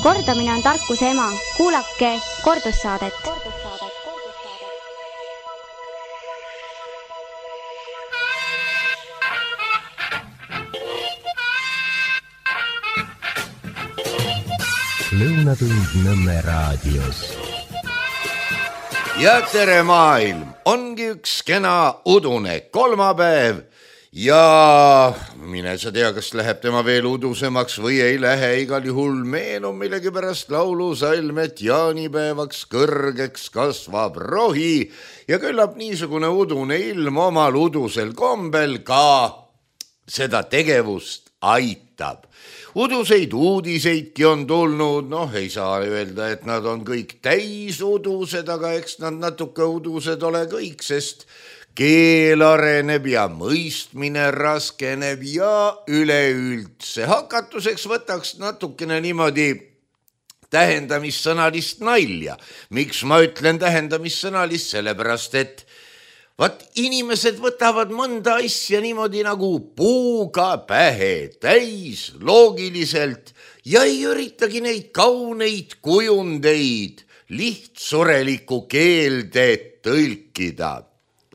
Kordamine on tarkuse ema. Kuulake kordussaadet. Lõunatund Nõmme raadios. Ja tere maailm, ongi üks kena udune kolmapäev ja mine sa tea, kas läheb tema veel udusemaks või ei lähe, igal juhul meenub millegipärast laulusalm, et jaanipäevaks kõrgeks kasvab rohi ja küllap niisugune udune ilm omal udusel kombel ka seda tegevust aitab. Uduseid uudiseidki on tulnud, ei saa öelda, et nad on kõik täis udused, aga eks nad natuke udused ole kõik, sest keel areneb ja mõistmine raskeneb ja üleüldse. Hakatuseks võtaks natukene niimoodi tähendamissõnalist nalja. Miks ma ütlen tähendamissõnalist? Sellepärast, et inimesed võtavad mõnda asja niimoodi nagu puuga pähe täis loogiliselt ja ei üritagi neid kauneid kujundeid lihtsureliku keelde tõlkida.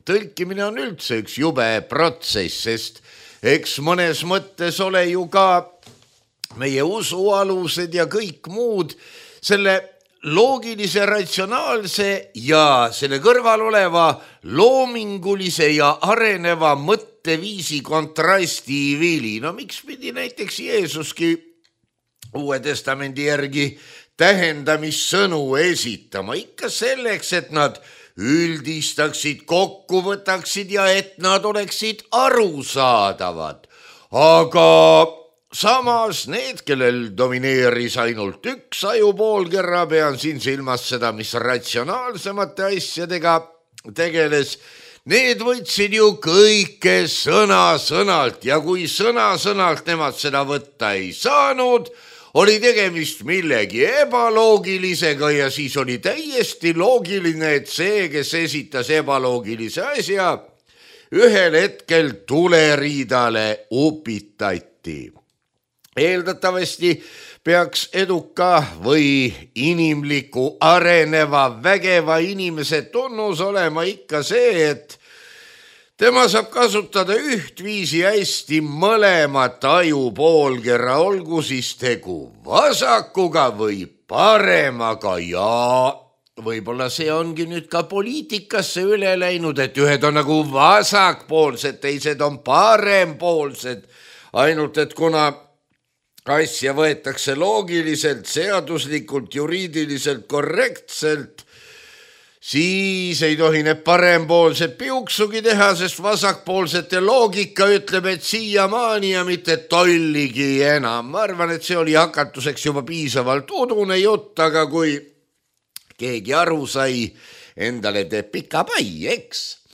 Tõlkimine on üldse üks jube protsess, sest eks mõnes mõttes ole ju ka meie usualused ja kõik muud selle loogilise, ratsionaalse ja selle kõrval oleva loomingulise ja areneva mõtteviisi kontrasti vili. Miks pidi näiteks Jeesuski Uue Testamendi järgi tähendamissõnu esitama? Ikka selleks, et nad üldistaksid, kokku võtaksid ja et nad oleksid arusaadavad. Aga samas need, kellel domineeris ainult üks ajupoolkerra, pean siin silmas seda, mis ratsionaalsemate asjadega tegeles, need võtsid ju kõike sõna-sõnalt ja kui sõna-sõnalt nemad seda võtta ei saanud, oli tegemist millegi ebaloogilisega ja siis oli täiesti loogiline, et see, kes esitas ebaloogilise asja, ühel hetkel tuleriidale upitati. Eeldatavasti peaks eduka või inimliku, areneva, vägeva inimese tunnus olema ikka see, et tema saab kasutada ühtviisi hästi mõlemat ajupoolkerra, olgu siis tegu vasakuga või paremaga ja võib-olla see ongi nüüd ka poliitikasse üle läinud, et ühed on nagu vasakpoolsed, teised on parempoolsed, ainult et kuna asja võetakse loogiliselt, seaduslikult, juriidiliselt korrektselt, siis ei tohi need parempoolsed piuksugi teha, sest vasakpoolsete loogika ütleb, et siiamaani ja mitte tolligi enam. Ma arvan, et see oli hakatuseks juba piisavalt udune jutt, aga kui keegi aru sai, endale teeb pika pai, eks?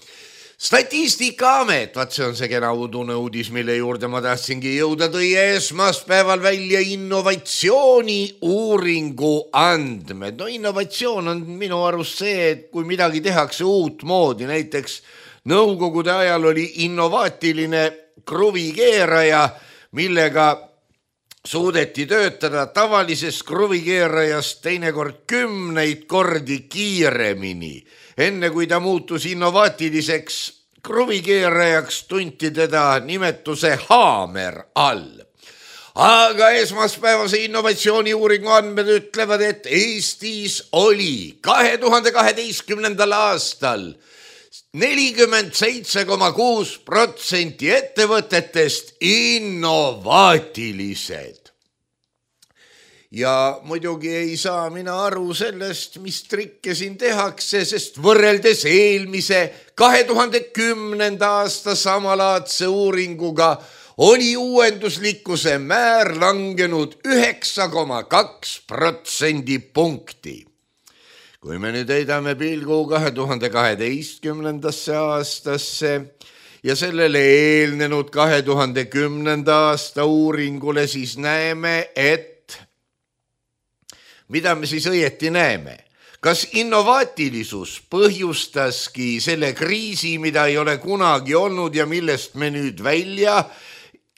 Statistikaamet, see on see kena udune uudis, mille juurde ma tahtsingi jõuda, tõi esmaspäeval välja innovatsiooni uuringu andmed. Innovatsioon on minu arust see, et kui midagi tehakse uut moodi, näiteks nõukogude ajal oli innovaatiline kruvikeeraja, millega suudeti töötada tavalisest kruvikeerajast teinekord 10 kordi kiiremini. Enne kui ta muutus innovaatiliseks kruvikeerajaks, tunti teda nimetuse haamer all. Aga esmaspäevase innovatsiooni uuringu andmed ütlevad, et Eestis oli 2012. aastal 47,6% ettevõtetest innovaatilised. Ja muidugi ei saa mina aru sellest, mis trikke siin tehakse, sest võrreldes eelmise 2010. aasta samalaadse uuringuga oli uuenduslikkuse määr langenud 9,2% punkti. Kui me nüüd heidame pilgu 2012. aastasse ja sellele eelnenud 2010. aasta uuringule, siis näeme, et mida me siis õieti näeme? Kas innovaatilisus põhjustaski selle kriisi, mida ei ole kunagi olnud ja millest me nüüd välja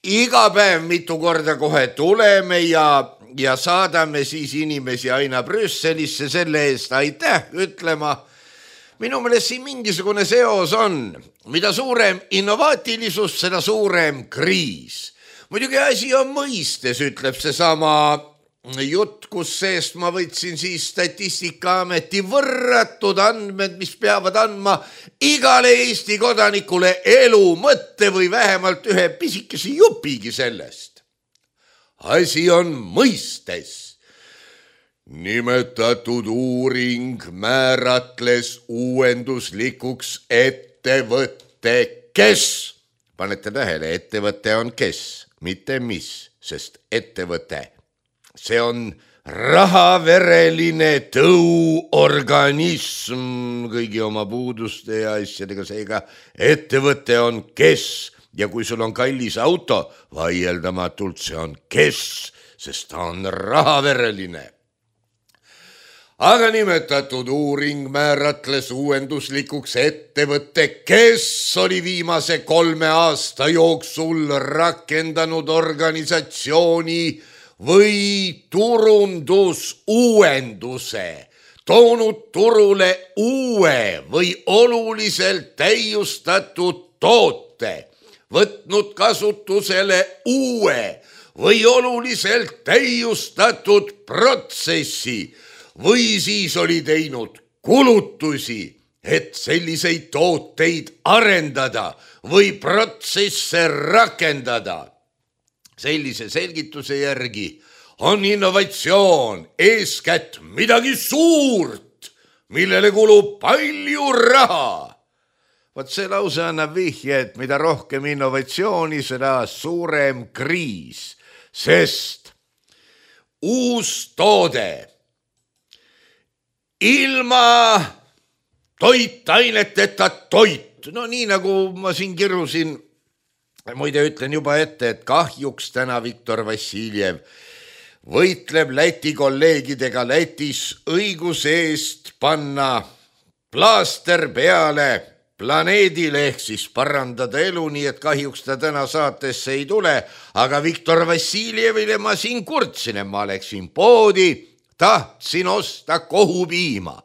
iga päev mitu korda kohe tuleme ja ja saadame siis inimesi aina Brüsselisse selle eest aitäh ütlema. Minu meelest siin mingisugune seos on. Mida suurem innovaatilisus, seda suurem kriis. Muidugi asi on mõistes, ütleb see sama jutt, kus seest ma võtsin siis Statistikaameti võrratud andmed, mis peavad andma igale Eesti kodanikule elu mõtte või vähemalt ühe pisikese jupigi sellest. Asi on mõistes. Nimetatud uuring määratles uuenduslikuks ettevõtte kes. Panete tähele, ettevõte on kes, mitte mis, sest ettevõte. See on rahavereline tõuorganism kõigi oma puuduste ja asjadega, seega ettevõte on kes ja kui sul on kallis auto, vaieldamatult see on kes, sest ta on rahavereline. Aga nimetatud uuring määratles uuenduslikuks ettevõtte, kes oli viimase 3 aasta jooksul rakendanud organisatsiooni või turundusuuenduse, toonud turule uue või oluliselt täiustatud toote, võtnud kasutusele uue või oluliselt täiustatud protsessi või siis oli teinud kulutusi, et selliseid tooteid arendada või protsesse rakendada. Sellise selgituse järgi on innovatsioon eeskätt midagi suurt, millele kulub palju raha. Vot see lause annab vihje, et mida rohkem innovatsiooni, seda suurem kriis, sest uus toode ilma toitaineteta toit, no nii nagu ma siin kirusin, muide ütlen juba ette, et kahjuks täna Viktor Vassiljev võitleb Läti kolleegidega Lätis õiguse eest panna plaaster peale planeedile ehk siis parandada elu, nii et kahjuks ta täna saatesse ei tule, aga Viktor Vassiljevile ma siin kurtsin, et ma läksin poodi, tahtsin osta kohupiima.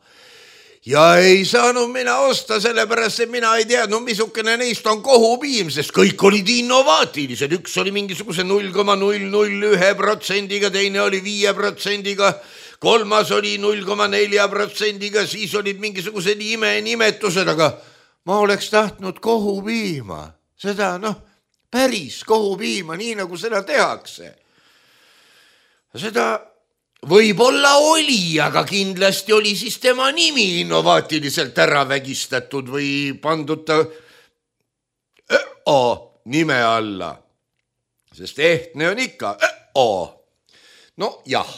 Ja ei saanud mina osta sellepärast, et mina ei teadnud, missugune neist on kohupiim, sest kõik olid innovaatilised. Üks oli mingisuguse 0,001%, teine oli 5%, kolmas oli 0,4%, siis olid mingisugused imenimetused, aga ma oleks tahtnud kohupiima. Seda, päris kohupiima, nii nagu seda tehakse. Seda võib-olla oli, aga kindlasti oli siis tema nimi innovaatiliselt ära vägistatud või pandud ta nime alla. Sest ehtne on ikka No jah.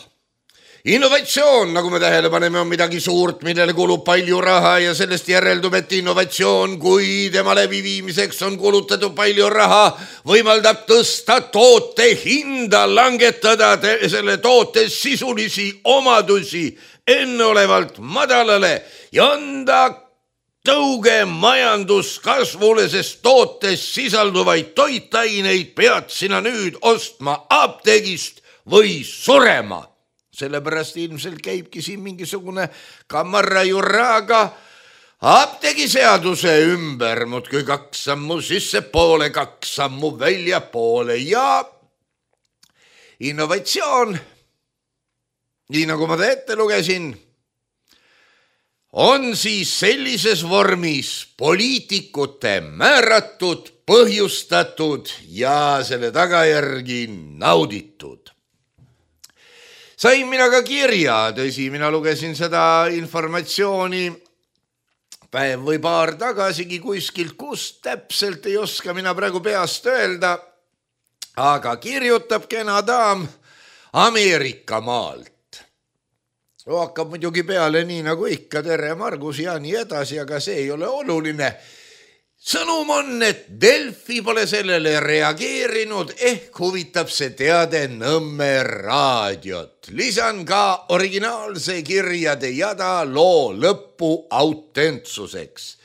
Innovatsioon, nagu me tähele paneme, on midagi suurt, millele kulub palju raha ja sellest järeldub, et innovatsioon, kui tema läbiviimiseks on kulutatud palju raha, võimaldab tõsta toote hinda, langetada selle toote sisulisi omadusi enneolevalt madalale ja anda tõuge majanduskasvule, sest tootes sisalduvaid toitaineid pead sina nüüd ostma apteegist või surema. Sellepärast ilmselt käibki siin mingisugune kamarra jurraga apteegiseaduse ümber, muudkui 2 sammu sissepoole, 2 sammu väljapoole ja innovatsioon, nii nagu ma ta ette lugesin, on siis sellises vormis poliitikute määratud, põhjustatud ja selle tagajärgi nauditud. Sain mina ka kirja, tõsi, mina lugesin seda informatsiooni päev või paar tagasigi kuskilt, kus täpselt ei oska mina praegu peast öelda, aga kirjutab kena daam Ameerika maalt. Hakkab muidugi peale nii nagu ikka, tere Margus ja nii edasi, aga see ei ole oluline. Sõnum on, et Delfi pole sellele reageerinud, ehk huvitab see teade Nõmme raadiot. Lisan ka originaalse kirjade jada loo lõppu autentsuseks.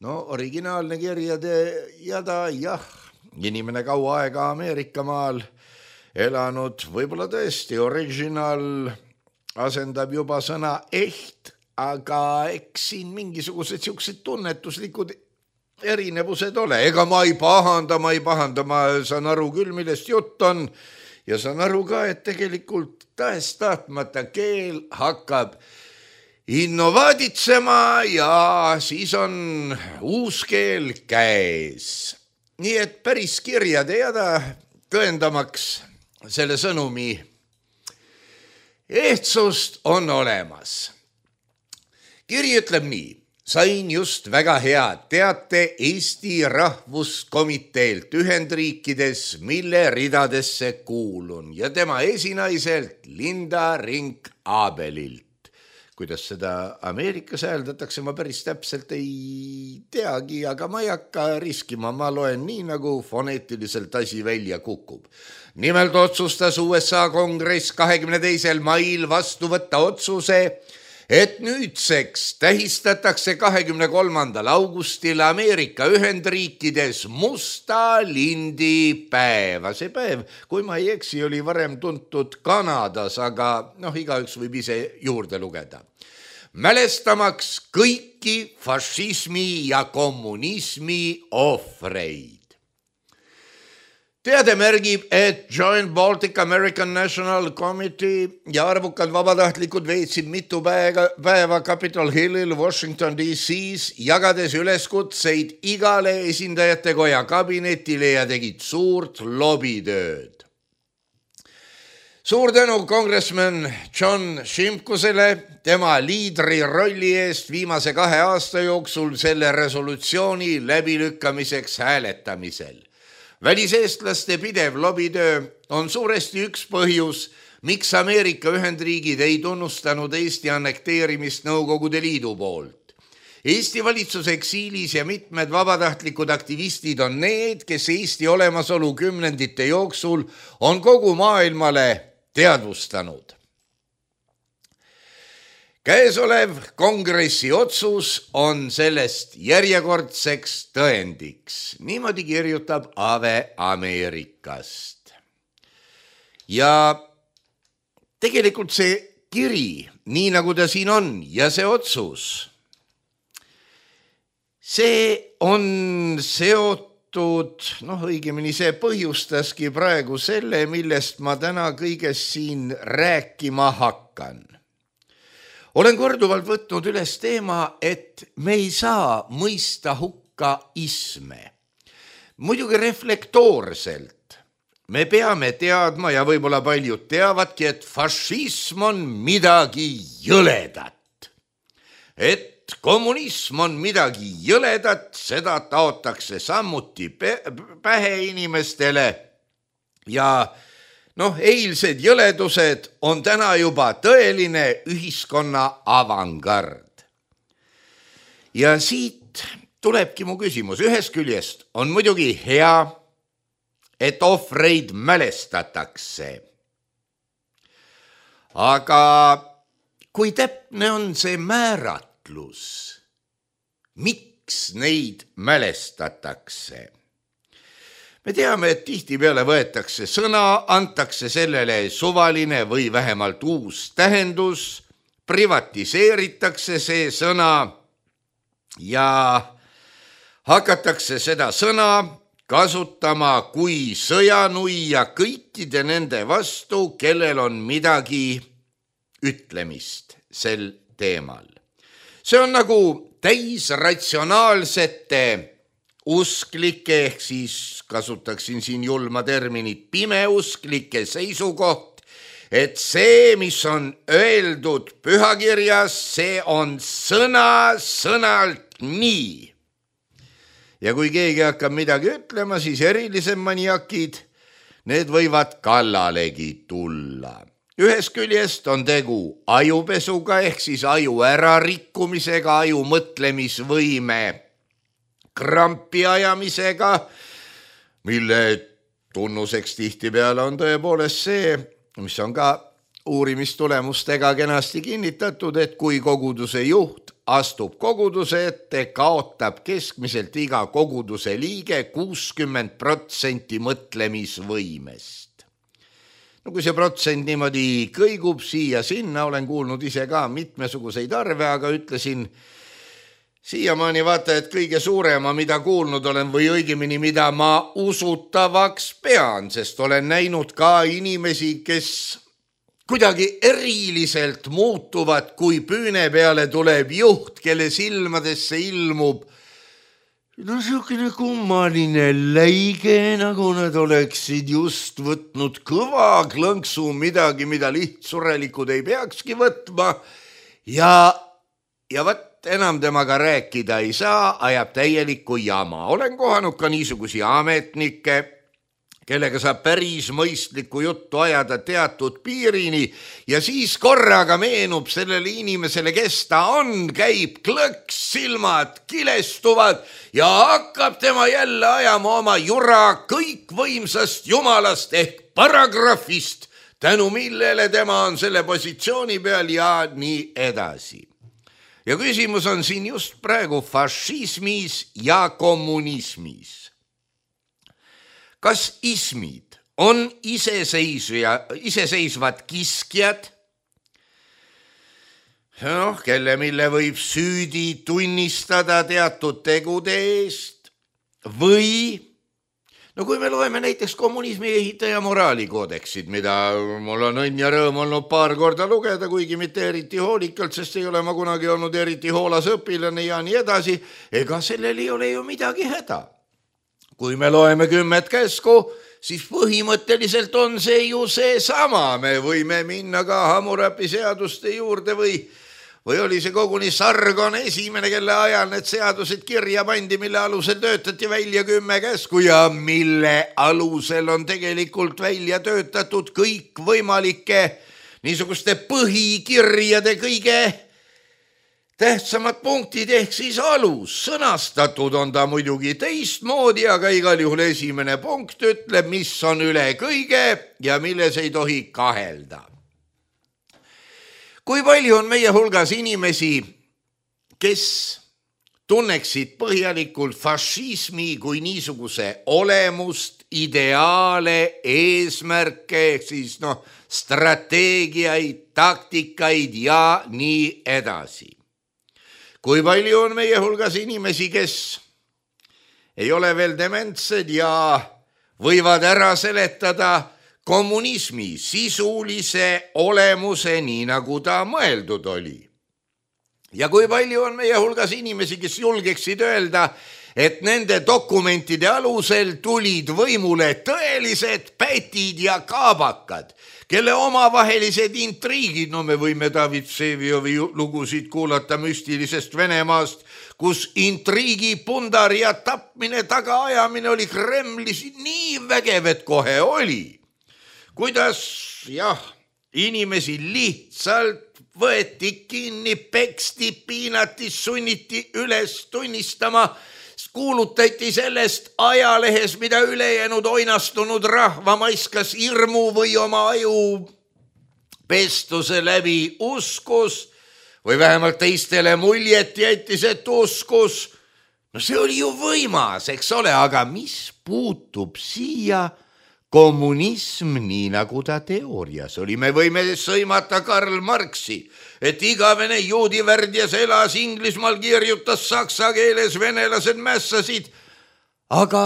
No originaalne kirjade jada, jah, inimene kaua aega Ameerika maal elanud, võib-olla tõesti original asendab juba sõna eht, aga eks siin mingisugused siuksed tunnetuslikud erinevused ole. Ega ma ei pahanda, ma saan aru küll, millest jutt on ja saan aru ka, et tegelikult tahes-tahtmata keel hakkab innovaaditsema ja siis on uus keel käes. Nii et päris kirjade jada tõendamaks selle sõnumi ehtsust on olemas. Kiri ütleb nii. Sain just väga head teate Eesti Rahvuskomiteelt Ühendriikides, mille ridadesse kuulun ja tema esinaiselt Linda Rink-Abelilt. Kuidas seda Ameerikas hääldatakse, ma päris täpselt ei teagi, aga ma ei hakka riskima, ma loen nii, nagu foneetiliselt asi välja kukub. Nimelt otsustas USA kongress 22. mail vastu võtta otsuse, et nüüdseks tähistatakse 23. augustil Ameerika Ühendriikides musta lindi päeva. See päev, kui ma ei eksi, oli varem tuntud Kanadas, aga igaüks võib ise juurde lugeda. Mälestamaks kõiki fašismi ja kommunismi ohvreid. Teade märgib, et Joint Baltic American National Committee ja arvukad vabatahtlikud veetsid mitu päeva Capitol Hillil Washington D.C.s, jagades üleskutseid igale esindajate koja kabinetile ja tegid suurt lobitööd. Suur tänu kongressman John Shimkusele tema liidri rolli eest viimase 2 aasta jooksul selle resolutsiooni läbilükkamiseks hääletamisel. Väliseestlaste pidev lobitöö on suuresti üks põhjus, miks Ameerika Ühendriigid ei tunnustanud Eesti annekteerimist Nõukogude Liidu poolt. Eesti valitsuse eksiilis ja mitmed vabatahtlikud aktivistid on need, kes Eesti olemasolu kümnendite jooksul on kogu maailmale teadvustanud. Käesolev kongressi otsus on sellest järjekordseks tõendiks. Niimoodi kirjutab Ave Ameerikast. Ja tegelikult see kiri, nii nagu ta siin on ja see otsus, see on seotud, õigemini see põhjustaski praegu selle, millest ma täna kõigest siin rääkima hakkan. Olen korduvalt võtnud üles teema, et me ei saa mõista hukka isme. Muidugi reflektoorselt. Me peame teadma ja võib-olla paljud teavadki, et fašism on midagi jõledat. Et kommunism on midagi jõledat, seda taotakse samuti pähe inimestele ja eilsed jõledused on täna juba tõeline ühiskonna avangard. Ja siit tulebki mu küsimus. Ühest küljest on muidugi hea, et ohvreid mälestatakse. Aga kui täpne on see määratlus, miks neid mälestatakse? Me teame, et tihtipeale võetakse sõna, antakse sellele suvaline või vähemalt uus tähendus, privatiseeritakse see sõna ja hakatakse seda sõna kasutama kui sõjanuia kõikide nende vastu, kellel on midagi ütlemist sel teemal. See on nagu täisratsionaalsete usklike, ehk siis kasutaksin siin julma terminit, pimeusklike seisukoht, et see, mis on öeldud pühakirjas, see on sõnalt nii. Ja kui keegi hakkab midagi ütlema, siis erilisem maniakid, need võivad kallalegi tulla. Ühest küljest on tegu ajupesuga, ehk siis aju ärarikkumisega, aju mõtlemisvõime krampi ajamisega, mille tunnuseks tihtipeale on tõepoolest see, mis on ka uurimistulemustega kenasti kinnitatud, et kui koguduse juht astub koguduse ette, kaotab keskmiselt iga koguduse liige 60% mõtlemisvõimest. no kui see protsent niimoodi kõigub siia-sinna, olen kuulnud ise ka mitmesuguseid arve, aga ütlesin siiamaani vaata, et kõige suurema, mida kuulnud olen või õigemini, mida ma usutavaks pean, sest olen näinud ka inimesi, kes kuidagi eriliselt muutuvad, kui püüne peale tuleb juht, kelle silmadesse ilmub no siukene kummaline läige, nagu nad oleksid just võtnud kõva klõnksu midagi, mida lihtsurelikud ei peakski võtma ja võt enam temaga rääkida ei saa, ajab täielikku jama. Olen kohanud ka niisugusi ametnikke, kellega saab päris mõistlikku juttu ajada teatud piirini ja siis korraga meenub sellele inimesele, kes ta on, käib klõks, silmad kilestuvad ja hakkab tema jälle ajama oma jura kõikvõimsast jumalast ehk paragrahvist, tänu millele tema on selle positsiooni peal ja nii edasi. Ja küsimus on siin just praegu fašismis ja kommunismis. Kas ismid on iseseisvad kiskjad, kelle mille võib süüdi tunnistada teatud tegude eest või kui me loeme näiteks kommunismi ehitaja moraalikoodeksid, mida mul on õnn ja rõõm olnud paar korda lugeda, kuigi mitte eriti hoolikalt, sest ei ole ma kunagi olnud eriti hoolas õpilane ja nii edasi, ega sellel ei ole ju midagi häda. Kui me loeme 10 käsku, siis põhimõtteliselt on see ju see sama. Me võime minna ka Hammurapi seaduste juurde või oli see koguni Sargon esimene, kelle ajal need seadused kirja pandi, mille alusel töötati välja 10 käsku ja mille alusel on tegelikult välja töötatud kõik võimalike niisuguste põhikirjade kõige tähtsamad punktid ehk siis alus. Sõnastatud on ta muidugi teistmoodi, aga igal juhul esimene punkt ütleb, mis on üle kõige ja milles ei tohi kahelda. Kui palju on meie hulgas inimesi, kes tunneksid põhjalikult fašismi kui niisuguse olemust, ideaale, eesmärke, siis strateegiaid, taktikaid ja nii edasi. Kui palju on meie hulgas inimesi, kes ei ole veel dementsed ja võivad ära seletada kommunismi sisulise olemuse, nii nagu ta mõeldud oli. Ja kui palju on meie hulgas inimesi, kes julgeksid öelda, et nende dokumentide alusel tulid võimule tõelised pätid ja kaabakad, kelle omavahelised intriigid, me võime David Vseviovi lugusid kuulata müstilisest Venemaast, kus intriigi, pundar ja tapmine, tagaajamine oli Kremlis nii vägev, et kohe oli. Kuidas, inimesi lihtsalt võeti kinni, peksti, piinati, sunniti üles tunnistama, kuulutati sellest ajalehes, mida ülejäänud oinastunud rahva maiskas hirmu või oma aju pestuse läbi uskus või vähemalt teistele muljet jättis, et uskus. See oli ju võimas, eks ole, aga mis puutub siia kommunism, nii nagu ta teoorias oli? Me võime sõimata Karl Marxi, et igavene juudivärdjas elas Inglismaal, kirjutas saksa keeles, venelased mässasid. Aga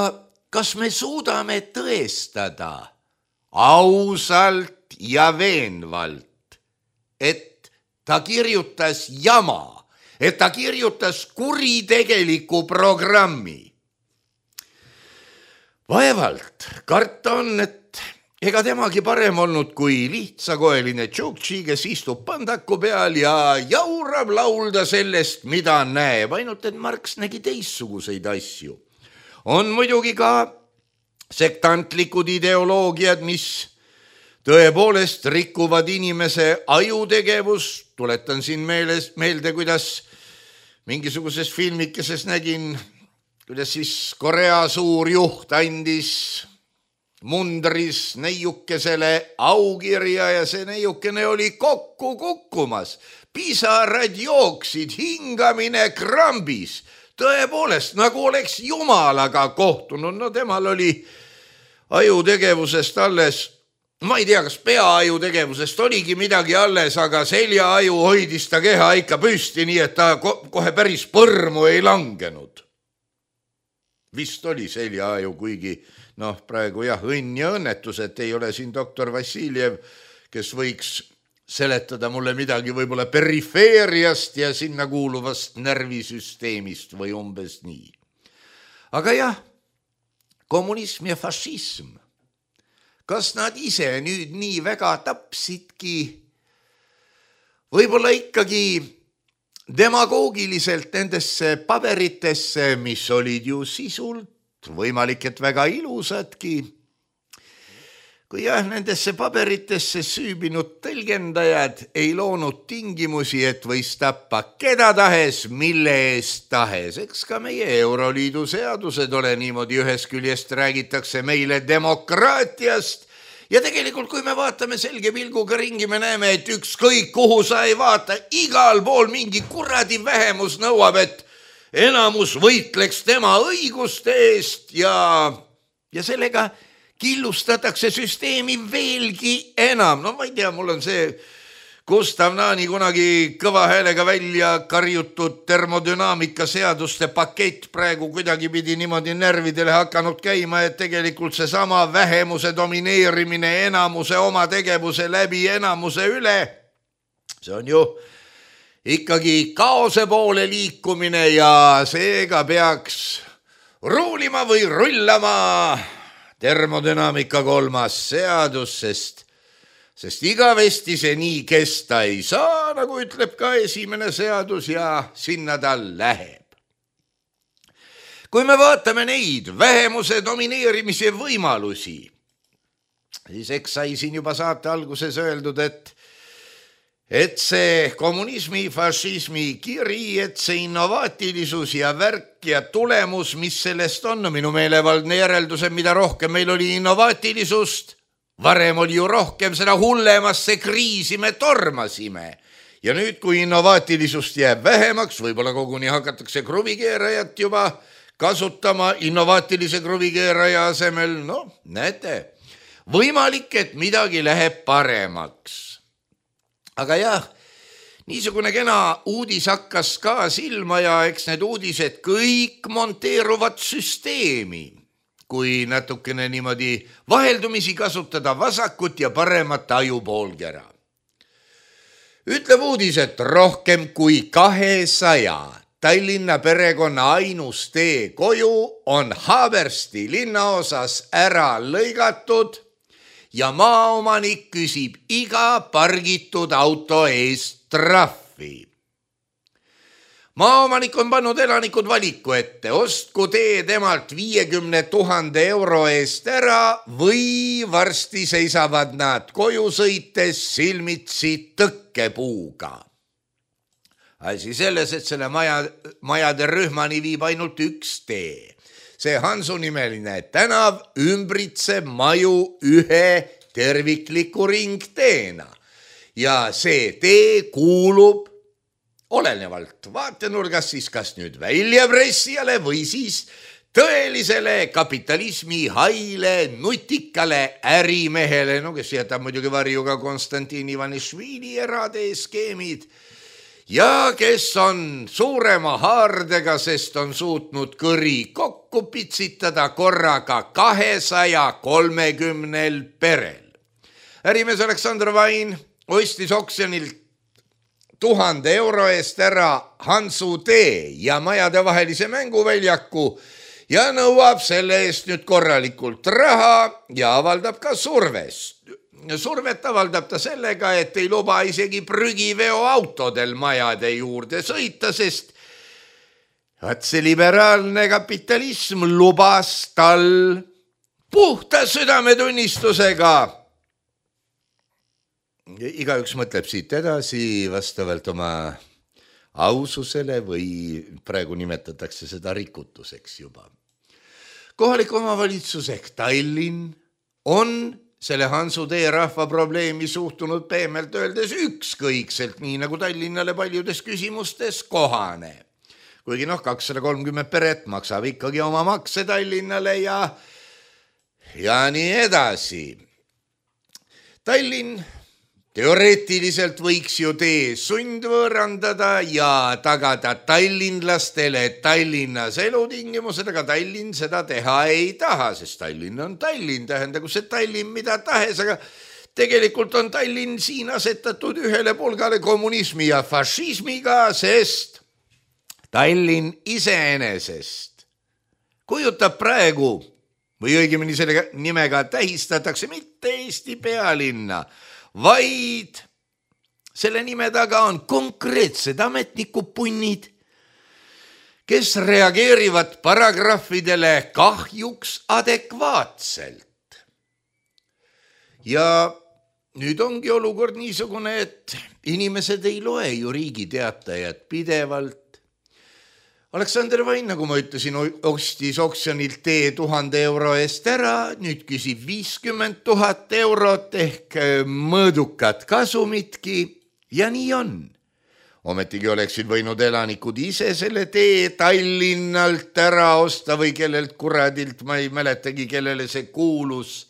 kas me suudame tõestada ausalt ja veenvalt, et ta kirjutas jama, et ta kirjutas kuritegeliku programmi? Vaevalt, karta on, et ega temagi parem olnud kui lihtsakoeline Tšuktši, kes istub pandaku peal ja jaurab laulda sellest, mida näeb, ainult et Marx nägi teistsuguseid asju. On muidugi ka sektantlikud ideoloogiad, mis tõepoolest rikuvad inimese ajutegevust. Tuletan siin meelde, kuidas mingisuguses filmikeses nägin, kuidas siis Korea suur juht andis mundris neiukesele aukirja ja see neiukene oli kokku kukkumas. Pisarad jooksid, hingamine krambis. Tõepoolest, nagu oleks Jumalaga kohtunud. Temal oli ajutegevusest alles ma ei tea, kas peaaju tegevusest oligi midagi alles, aga seljaaju hoidis ta keha ikka püsti, nii et ta kohe päris põrmu ei langenud. Vist oli seljaaju, kuigi praegu jah, õnn ja õnnetus, et ei ole siin doktor Vassiljev, kes võiks seletada mulle midagi võib-olla perifeeriast ja sinna kuuluvast närvisüsteemist või umbes nii. Aga jah, kommunism ja fašism, kas nad ise nüüd nii väga tapsidki? Võib-olla ikkagi demagoogiliselt nendesse paberitesse, mis olid ju sisult võimalik, et väga ilusadki. Kui jah, nendesse paberitesse süübinud tõlgendajad ei loonud tingimusi, et võis tappa keda tahes, mille eest tahes. Eks ka meie Euroliidu seadused ole niimoodi, ühest küljest räägitakse meile demokraatiast ja tegelikult, kui me vaatame selge pilguga ringi, me näeme, et ükskõik kuhu sa ei vaata, igal pool mingi kuradi vähemus nõuab, et enamus võitleks tema õiguste eest ja sellega killustatakse süsteemi veelgi enam. Ma ei tea, mul on see Gustav Naani kunagi kõva häälega välja karjutud termodünaamika seaduste pakett praegu kuidagi pidi niimoodi närvidele hakanud käima, et tegelikult see sama vähemuse domineerimine enamuse oma tegevuse läbi enamuse üle, see on ju ikkagi kaose poole liikumine ja seega peaks ruulima või rullama termodünaamika 3. seadus, sest igavesti see nii kesta ei saa, nagu ütleb ka 1. seadus ja sinna ta läheb. Kui me vaatame neid vähemuse domineerimise võimalusi, siis eks sai siin juba saate alguses öeldud, et see kommunismi, fašismi kiri, et see innovaatilisus ja värk ja tulemus, mis sellest on, minu meelevaldne järeldus, mida rohkem meil oli innovaatilisust, varem oli ju rohkem, seda hullemasse kriisi me tormasime. Ja nüüd, kui innovaatilisust jääb vähemaks, võib-olla koguni hakatakse kruvikeerajat juba kasutama innovaatilise kruvikeeraja asemel, näete, võimalik, et midagi läheb paremaks. Aga jah, niisugune kena uudis hakkas ka silma ja eks need uudised kõik monteeruvad süsteemi. Kui natukene niimoodi vaheldumisi kasutada vasakut ja paremat ajupoolkera. Ütleb uudis, et rohkem kui 200 Tallinna perekonna ainus tee koju on Haabersti linnaosas ära lõigatud ja maaomanik küsib iga pargitud auto eest trahvi. Maaomanik on pannud elanikud valiku ette, ostku tee temalt 50 000 euro eest ära või varsti seisavad nad koju sõites silmitsi tõkkepuuga. Asi selles, et selle majade rühmani viib ainult üks tee. See Hansu nimeline tänav ümbritseb maju ühe tervikliku ringteena ja see tee kuulub olenevalt vaatenurgast siis kas nüüd väljapressijale või siis tõelisele kapitalismi haile nutikale ärimehele, kes jätab muidugi varju ka Konstantin Ivanišvili eratee skeemid ja kes on suurema haardega, sest on suutnud kõri kokku pitsitada korraga 230 perel. Ärimees Aleksandr Vain ostis oksjonilt 1000 euro eest ära Hansu tee ja majadevahelise mänguväljaku ja nõuab selle eest nüüd korralikult raha ja avaldab ka survest. Survet avaldab ta sellega, et ei luba isegi prügiveoautodel majade juurde sõita, sest see liberaalne kapitalism lubas tal puhta südametunnistusega. Igaüks mõtleb siit edasi vastavalt oma aususele või praegu nimetatakse seda rikutuseks juba. Kohalik omavalitsus ehk Tallinn on selle Hansu tee rahva probleemi suhtunud pehmelt öeldes ükskõikselt, nii nagu Tallinnale paljudes küsimustes kohane. Kuigi 230 peret maksab ikkagi oma makse Tallinnale ja nii edasi. Tallinn teoreetiliselt võiks ju tee sundvõõrandada ja tagada tallinlastele Tallinnas elutingimused, aga Tallinn seda teha ei taha, sest Tallinn on Tallinn, tähendagu see Tallinn mida tahes, aga tegelikult on Tallinn siin asetatud ühele pulgale kommunismi ja fašismiga, sest Tallinn iseenesest kujutab praegu või õigemini selle nimega tähistatakse mitte Eesti pealinna, vaid selle nime taga on konkreetsed ametnikupunnid, kes reageerivad paragrahvidele kahjuks adekvaatselt. Ja nüüd ongi olukord niisugune, et inimesed ei loe ju Riigi Teatajat pidevalt. Aleksander Vain, nagu ma ütlesin, ostis oksjonilt tee 1000 euro eest ära, nüüd küsib 50 000 eurot ehk mõõdukat kasumitki ja nii on. Ometigi oleksid võinud elanikud ise selle tee Tallinnalt ära osta või kellelt kuradilt, ma ei mäletagi, kellele see kuulus.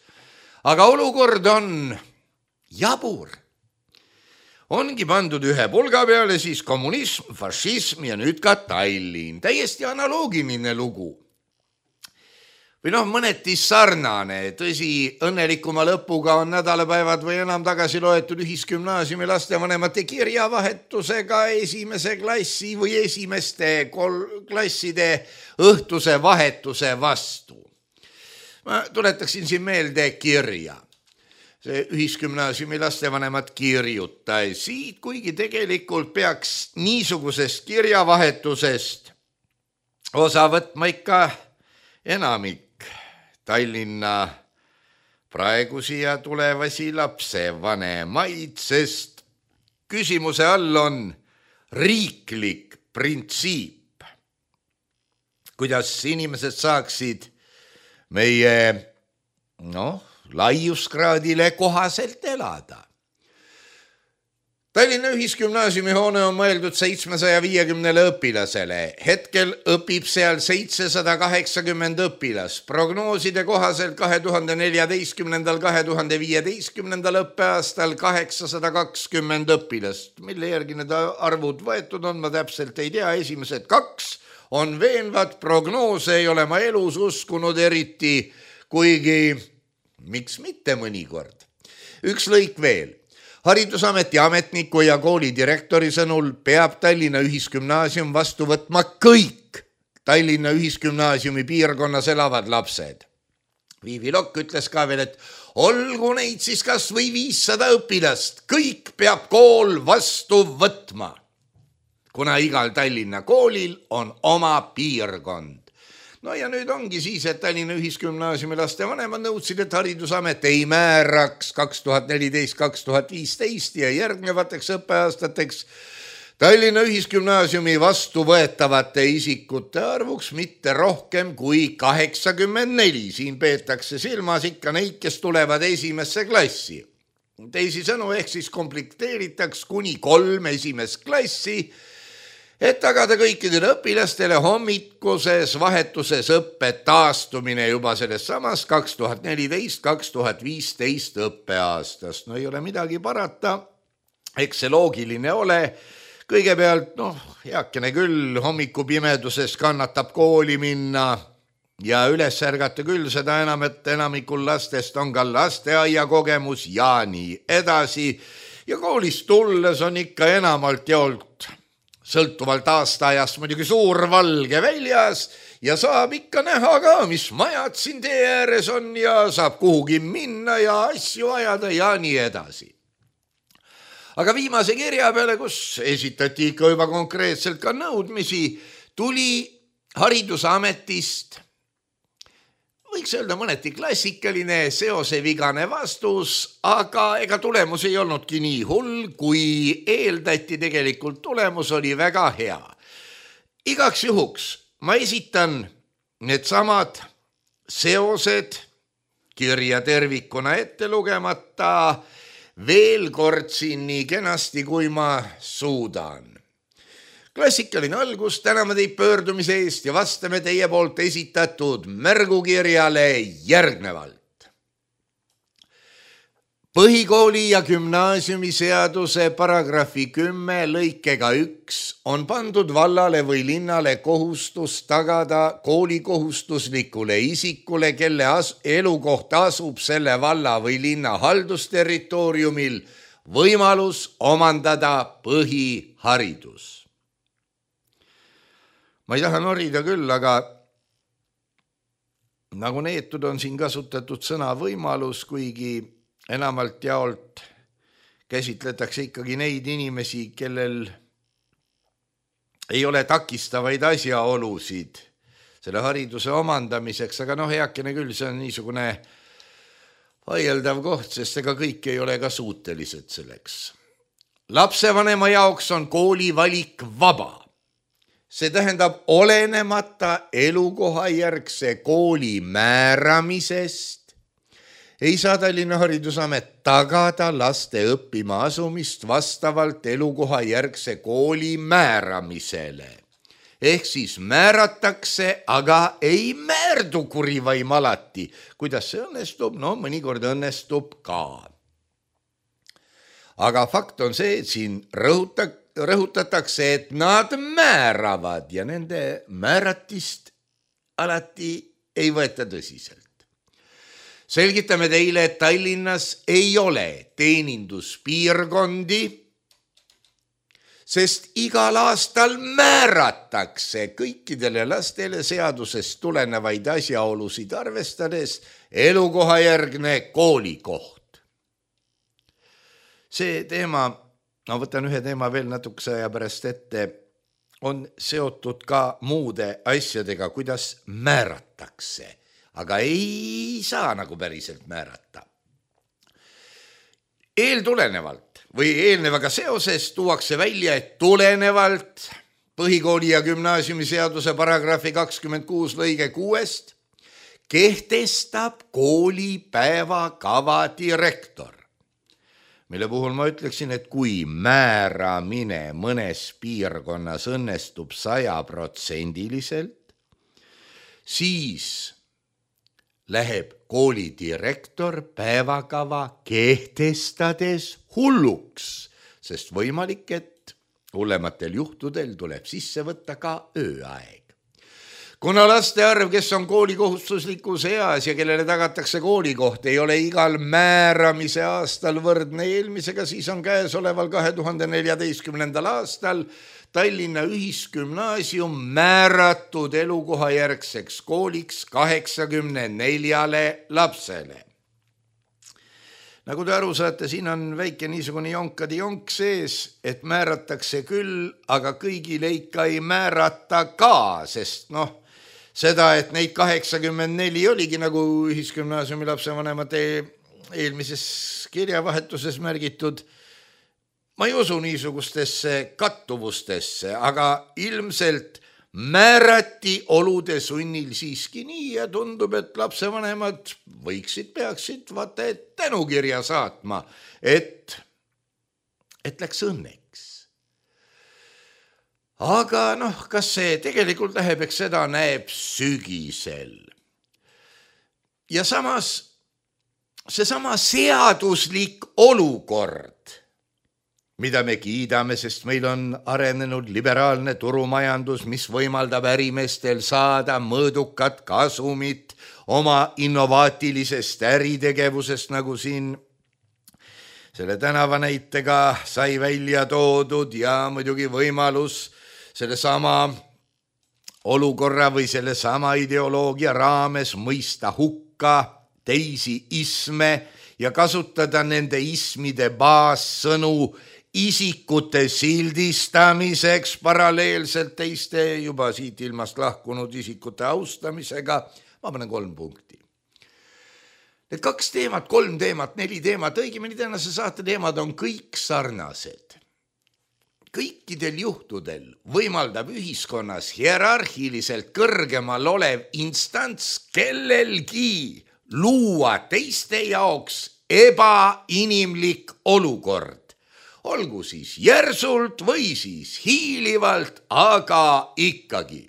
Aga olukord on jabur. Ongi pandud ühe pulga peale siis kommunism, fašism ja nüüd ka Tallinn. Täiesti analoogiline lugu. Või mõneti sarnane. Tõsi, õnnelikuma lõpuga on nädalapäevad või enam tagasi loetud ühisgümnaasiumi lastevanemate kirjavahetusega esimese klassi või esimeste klasside õhtuse vahetuse vastu. Ma tuletaksin siin meelde kirja. See ühisgümnaasiumi lastevanemad kirjutasid, kuigi tegelikult peaks niisugusest kirjavahetusest osa võtma ikka enamik Tallinna praegusi ja tulevasi lapsevanemaid, sest küsimuse all on riiklik printsiip, kuidas inimesed saaksid meie laiuskraadile kohaselt elada. Tallinna ühisgümnaasiumi hoone on mõeldud 750 õpilasele. Hetkel õpib seal 780 õpilast. Prognooside kohaselt 2014-2015 õppeaastal 820 õpilast. Mille järgi need arvud võetud on, ma täpselt ei tea. Esimesed 2 on veenvad. Prognoose ei ole ma elus uskunud eriti, kuigi miks mitte mõnikord. Üks lõik veel. Haridusameti ametniku ja kooli direktori sõnul peab Tallinna ühisgümnaasium vastu võtma kõik Tallinna ühisgümnaasiumi piirkonnas elavad lapsed. Viivi Lokk ütles ka veel, et olgu neid siis kas või 500 õpilast, kõik peab kool vastu võtma, kuna igal Tallinna koolil on oma piirkond. No ja nüüd ongi siis, et Tallinna ühisgümnaasiumi lastevanemad nõudsid, et haridusamet ei määraks 2014-2015 ja järgnevateks õppeaastateks Tallinna ühisgümnaasiumi vastu võetavate isikute arvuks mitte rohkem kui 84. Siin peetakse silmas ikka neid, kes tulevad esimesse klassi. Teisisõnu ehk siis komplekteeritaks kuni 3 esimest klassi, et tagada kõikidele õpilastele hommikuses vahetuses õppe taastumine juba selles samas 2014-2015 õppeaastast. No ei ole midagi parata, eks see loogiline ole. Kõigepealt, heakene küll, hommikupimeduses kannatab kooli minna ja üles ärgata küll, seda enam, et enamikul lastest on ka lasteaia kogemus ja nii edasi. Ja koolist tulles on ikka enamalt jaolt sõltuvalt aastaajast muidugi suur valge väljas ja saab ikka näha ka, mis majad siin tee ääres on ja saab kuhugi minna ja asju ajada ja nii edasi. Aga viimase kirja peale, kus esitati ikka juba konkreetselt ka nõudmisi, tuli haridusametist, võiks öelda mõneti klassikaline seosevigane vastus, aga ega tulemus ei olnudki nii hull, kui eeldati. Tegelikult tulemus oli väga hea. Igaks juhuks ma esitan need samad seosed kirja tervikuna ette lugemata veel kord siin nii kenasti, kui ma suudan. Klassikaline algus, täname teid pöördumise eest ja vastame teie poolt esitatud märgukirjale järgnevalt. Põhikooli ja gümnaasiumiseaduse paragrahvi 10 lõikega 1 on pandud vallale või linnale kohustus tagada koolikohustuslikule isikule, kelle elukoht asub selle valla või linna haldusterritooriumil, võimalus omandada põhiharidus. Ma ei taha norida küll, aga nagu neetud on siin kasutatud sõna võimalus, kuigi enamalt jaolt käsitletakse ikkagi neid inimesi, kellel ei ole takistavaid asjaolusid selle hariduse omandamiseks, aga heakene küll, see on niisugune vaieldav koht, sest ega kõik ei ole ka suutelised selleks. Lapsevanema jaoks on kooli valik vaba. See tähendab olenemata elukohajärgse kooli määramisest ei saa Tallinna Haridusamet tagada laste õppima asumist vastavalt elukohajärgse kooli määramisele. Ehk siis määratakse, aga ei määrdu kurivaim alati. Kuidas see õnnestub? Mõnikord õnnestub ka. Aga fakt on see, et siin rõhutatakse, et nad määravad ja nende määratist alati ei võeta tõsiselt. Selgitame teile, et Tallinnas ei ole teeninduspiirkondi, sest igal aastal määratakse kõikidele lastele seadusest tulenevaid asjaolusid arvestades elukohajärgne koolikoht. See teema, võtan ühe teema veel natukese aja pärast ette, on seotud ka muude asjadega, kuidas määratakse. Aga ei saa nagu päriselt määrata. Eeltulenevalt või eelnevaga seoses tuuakse välja, et tulenevalt põhikooli ja gümnaasiumiseaduse paragrahvi 26 lõige 6 kehtestab kooli päevakava direktor, mille puhul ma ütleksin, et kui määramine mõnes piirkonnas õnnestub 100%, siis läheb kooli direktor päevakava kehtestades hulluks, sest võimalik, et hullematel juhtudel tuleb sisse võtta ka ööaeg. Kuna laste arv, kes on koolikohustuslikus eas ja kellele tagatakse koolikoht, ei ole igal määramise aastal võrdne eelmisega, siis on käesoleval 2014. aastal Tallinna Ühisgümnaasium määratud elukohajärgseks kooliks 84 lapsele. Nagu te aru saate, siin on väike niisugune jonkadi jonk sees, et määratakse küll, aga kõigile ikka ei määrata ka, sest seda, et neid 84 oligi nagu Ühisgümnaasiumi lapsevanemate eelmises kirjavahetuses märgitud, ma ei usu niisugustesse kattuvustesse, aga ilmselt määrati olude sunnil siiski nii ja tundub, et lapsevanemad peaksid tänukirja saatma, et läks õnneks. Aga kas see tegelikult läheb, eks seda näeb sügisel. Ja samas seesama seaduslik olukord, mida me kiidame, sest meil on arenenud liberaalne turumajandus, mis võimaldab ärimeestel saada mõõdukat kasumit oma innovaatilisest äritegevusest, nagu siin selle tänava näitega sai välja toodud ja muidugi võimalus sellesama olukorra või sellesama ideoloogia raames mõista hukka teisi isme ja kasutada nende ismide baassõnu isikute sildistamiseks paralleelselt teiste juba siit ilmast lahkunud isikute austamisega. Ma panen 3 punkti. Need 2 teemat, 3 teemat, 4 teemat, õigemini tänase saate teemad on kõik sarnased. Kõikidel juhtudel võimaldab ühiskonnas hierarhiliselt kõrgemal olev instants kellelgi luua teiste jaoks ebainimlik olukord. Olgu siis järsult või siis hiilivalt, aga ikkagi.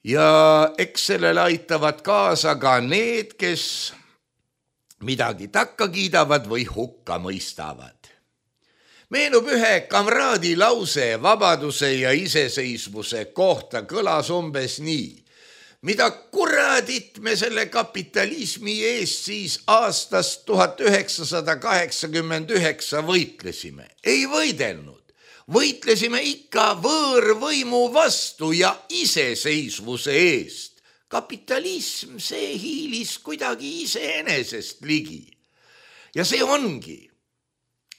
Ja eks sellele aitavad kaasa ka need, kes midagi takka kiidavad või hukka mõistavad. Meenub ühe kamraadi lause vabaduse ja iseseisvuse kohta, kõlas umbes nii. Mida kuradit me selle kapitalismi eest siis aastast 1989 võitlesime? Ei võidelnud. Võitlesime ikka võõrvõimu vastu ja iseseisvuse eest. Kapitalism, see hiilis kuidagi iseenesest ligi. Ja see ongi,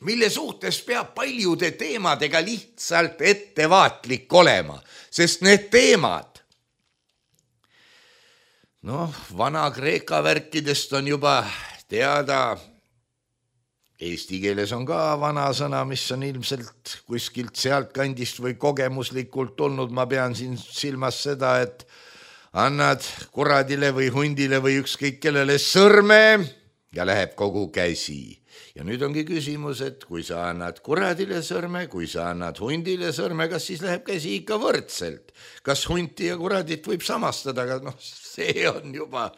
mille suhtes peab paljude teemadega lihtsalt ettevaatlik olema, sest need teemad, Vana-Kreeka värkidest on juba teada, eesti keeles on ka vana sõna, mis on ilmselt kuskilt sealt kandist või kogemuslikult tulnud. Ma pean siin silmas seda, et annad kuradile või hundile või ükskõik kellele sõrme ja läheb kogu käsi. Ja nüüd ongi küsimus, et kui sa annad kuradile sõrme, kui sa annad hundile sõrme, kas siis läheb käsi ikka võrdselt? Kas hunti ja kuradit võib samastada, aga see on juba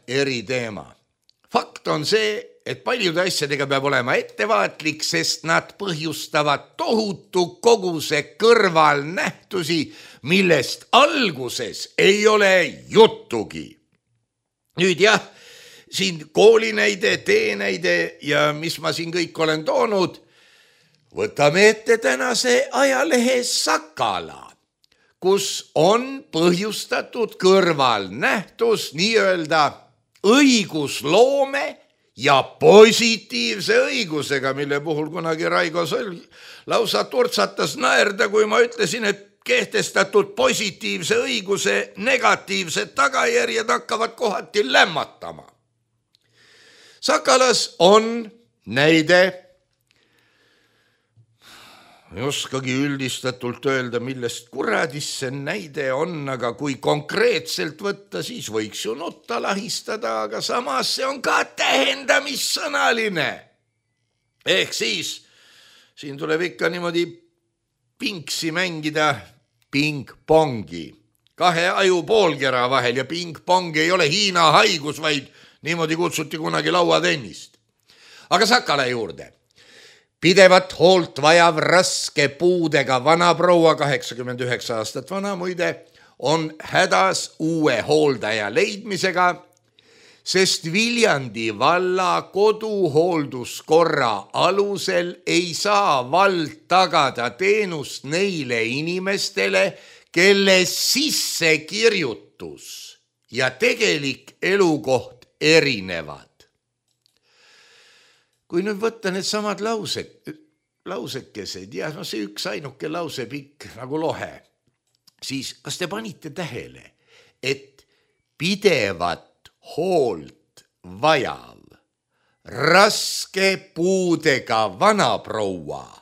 eri teema. Fakt on see, et paljude asjadega peab olema ettevaatlik, sest nad põhjustavad tohutu koguse kõrvalnähtusi, millest alguses ei ole juttugi. Nüüd siin koolinäide, teenäide ja mis ma siin kõik olen toonud, võtame ette tänase ajalehe Sakala, kus on põhjustatud kõrvalnähtus nii-öelda õigusloome ja positiivse õigusega, mille puhul kunagi Raigo Sõlg lausa turtsatas naerda, kui ma ütlesin, et kehtestatud positiivse õiguse negatiivsed tagajärjed hakkavad kohati lämmatama. Sakalas on näide, ei oskagi üldistatult öelda, millest kuradis see näide on, aga kui konkreetselt võtta, siis võiks ju nutta lahistada, aga samas see on ka tähendamissõnaline. Ehk siis siin tuleb ikka niimoodi pingsi mängida ping-pongi, kahe aju poolkera vahel ja ping-pong ei ole Hiina haigus, vaid niimoodi kutsuti kunagi lauatennist. Aga Sakala juurde. Pidevat hoolt vajav raske puudega vanaproua, 89 aastat vana muide, on hädas uue hooldaja leidmisega, sest Viljandi valla koduhoolduskorra alusel ei saa vald tagada teenust neile inimestele, kelle sissekirjutus ja tegelik elukoht erinevad. Kui nüüd võtta need samad lausekesed ja see üks ainuke lause pikk nagu lohe, siis kas te panite tähele, et pidevat hoolt vajav raske puudega vanaproua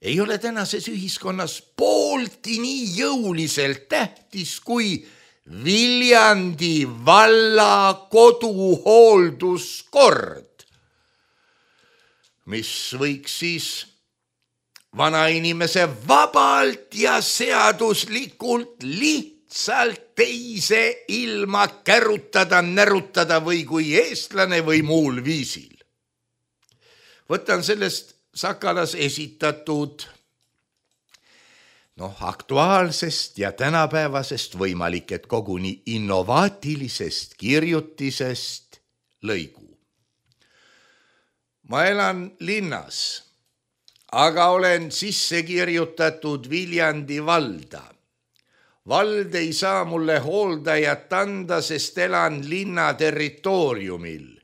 ei ole tänases ühiskonnas poolti nii jõuliselt tähtis kui Viljandi valla koduhoolduskord, mis võiks siis vanainimese vabalt ja seaduslikult lihtsalt teise ilma kärutada, närutada või kui eestlane või muul viisil. Võtan sellest Sakalas esitatud aktuaalsest ja tänapäevasest võimalik, et koguni innovaatilisest kirjutisest lõigu. Ma elan linnas, aga olen sisse kirjutatud Viljandi valda. Vald ei saa mulle hooldajat anda, sest elan linna territooriumil.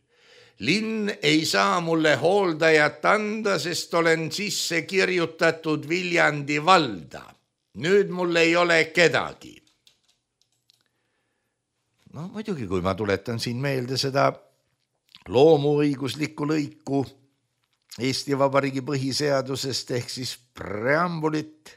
Linn ei saa mulle hooldajat anda, sest olen sisse kirjutatud Viljandi valda. Nüüd mul ei ole kedagi. Muidugi, kui ma tuletan siin meelde seda loomuõiguslikku lõiku Eesti Vabariigi põhiseadusest ehk siis preambulit,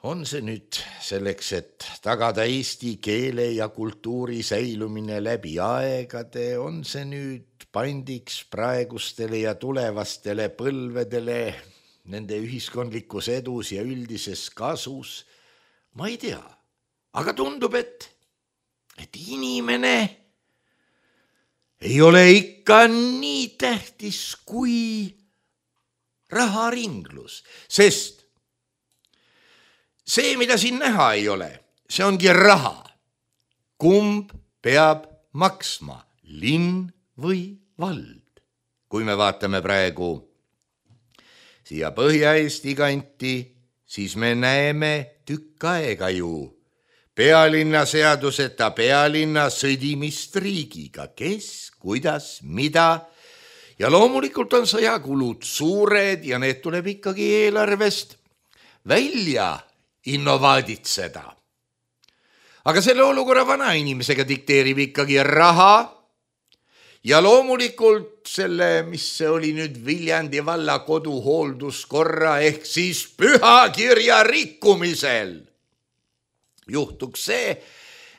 on see nüüd selleks, et tagada eesti keele ja kultuuri säilumine läbi aegade, on see nüüd pandiks praegustele ja tulevastele põlvedele nende ühiskondlikus edus ja üldises kasus, ma ei tea, aga tundub, et inimene ei ole ikka nii tähtis kui raharinglus, sest see, mida siin näha ei ole, see ongi raha. Kumb peab maksma, linn või vald? Kui me vaatame praegu siia Põhja-Eesti kanti, siis me näeme tükk aega ju pealinna seaduseta pealinna sõdimist riigiga, kes, kuidas, mida. Ja loomulikult on sõjakulud suured ja need tuleb ikkagi eelarvest välja innovaaditseda. Aga selle olukorra vana inimesega dikteerib ikkagi raha ja loomulikult selle, mis see oli nüüd Viljandi valla koduhoolduskorra ehk siis pühakirja rikkumisel. Juhtuks see,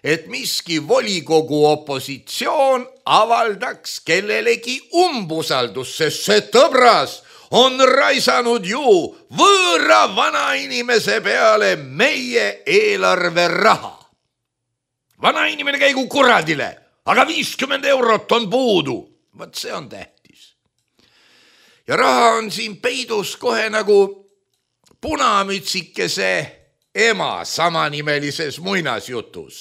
et miski volikogu opositsioon avaldaks kellelegi umbusaldus, sest see tõbras on raisanud ju võõra vanainimese peale meie eelarve raha. Vanainimene käigu kuradile, aga 50 eurot on puudu. Vaat see on tähtis. Ja raha on siin peidus kohe nagu punamütsikese ema samanimelises muinasjutus,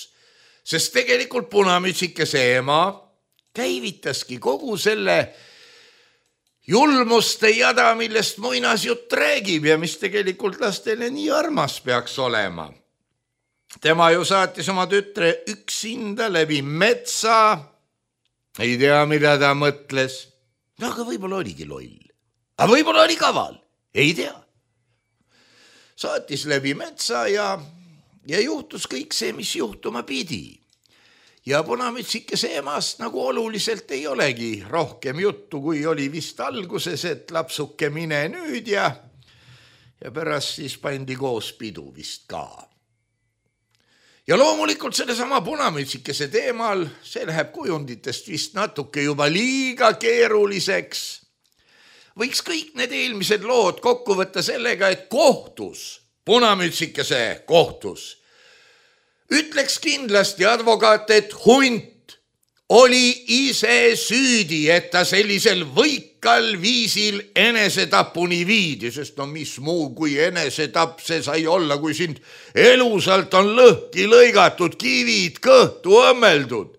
sest tegelikult punamütsikese ema käivitaski kogu selle julmuste jada, millest muinasjutt räägib ja mis tegelikult lastele nii armas peaks olema. Tema ju saatis oma tütre üksinda läbi metsa, ei tea, mida ta mõtles, aga võib-olla oligi loll, aga võib-olla oli kaval, ei tea. Saatis läbi metsa ja juhtus kõik see, mis juhtuma pidi. Ja punamütsikese emast nagu oluliselt ei olegi rohkem juttu, kui oli vist alguses, et lapsuke mine nüüd ja pärast siis pandi koos pidu vist ka. Ja loomulikult sellesama punamütsikese teemal, see läheb kujunditest vist natuke juba liiga keeruliseks. Võiks kõik need eelmised lood kokku võtta sellega, et kohtus, punamütsikese kohtus, ütleks kindlasti advokaat, et hunt oli ise süüdi, et ta sellisel võikal viisil enesetapuni viidi, sest no mis muu kui enesetapp see sai olla, kui sind elusalt on lõhki lõigatud, kivid kõhtu õmmeldud.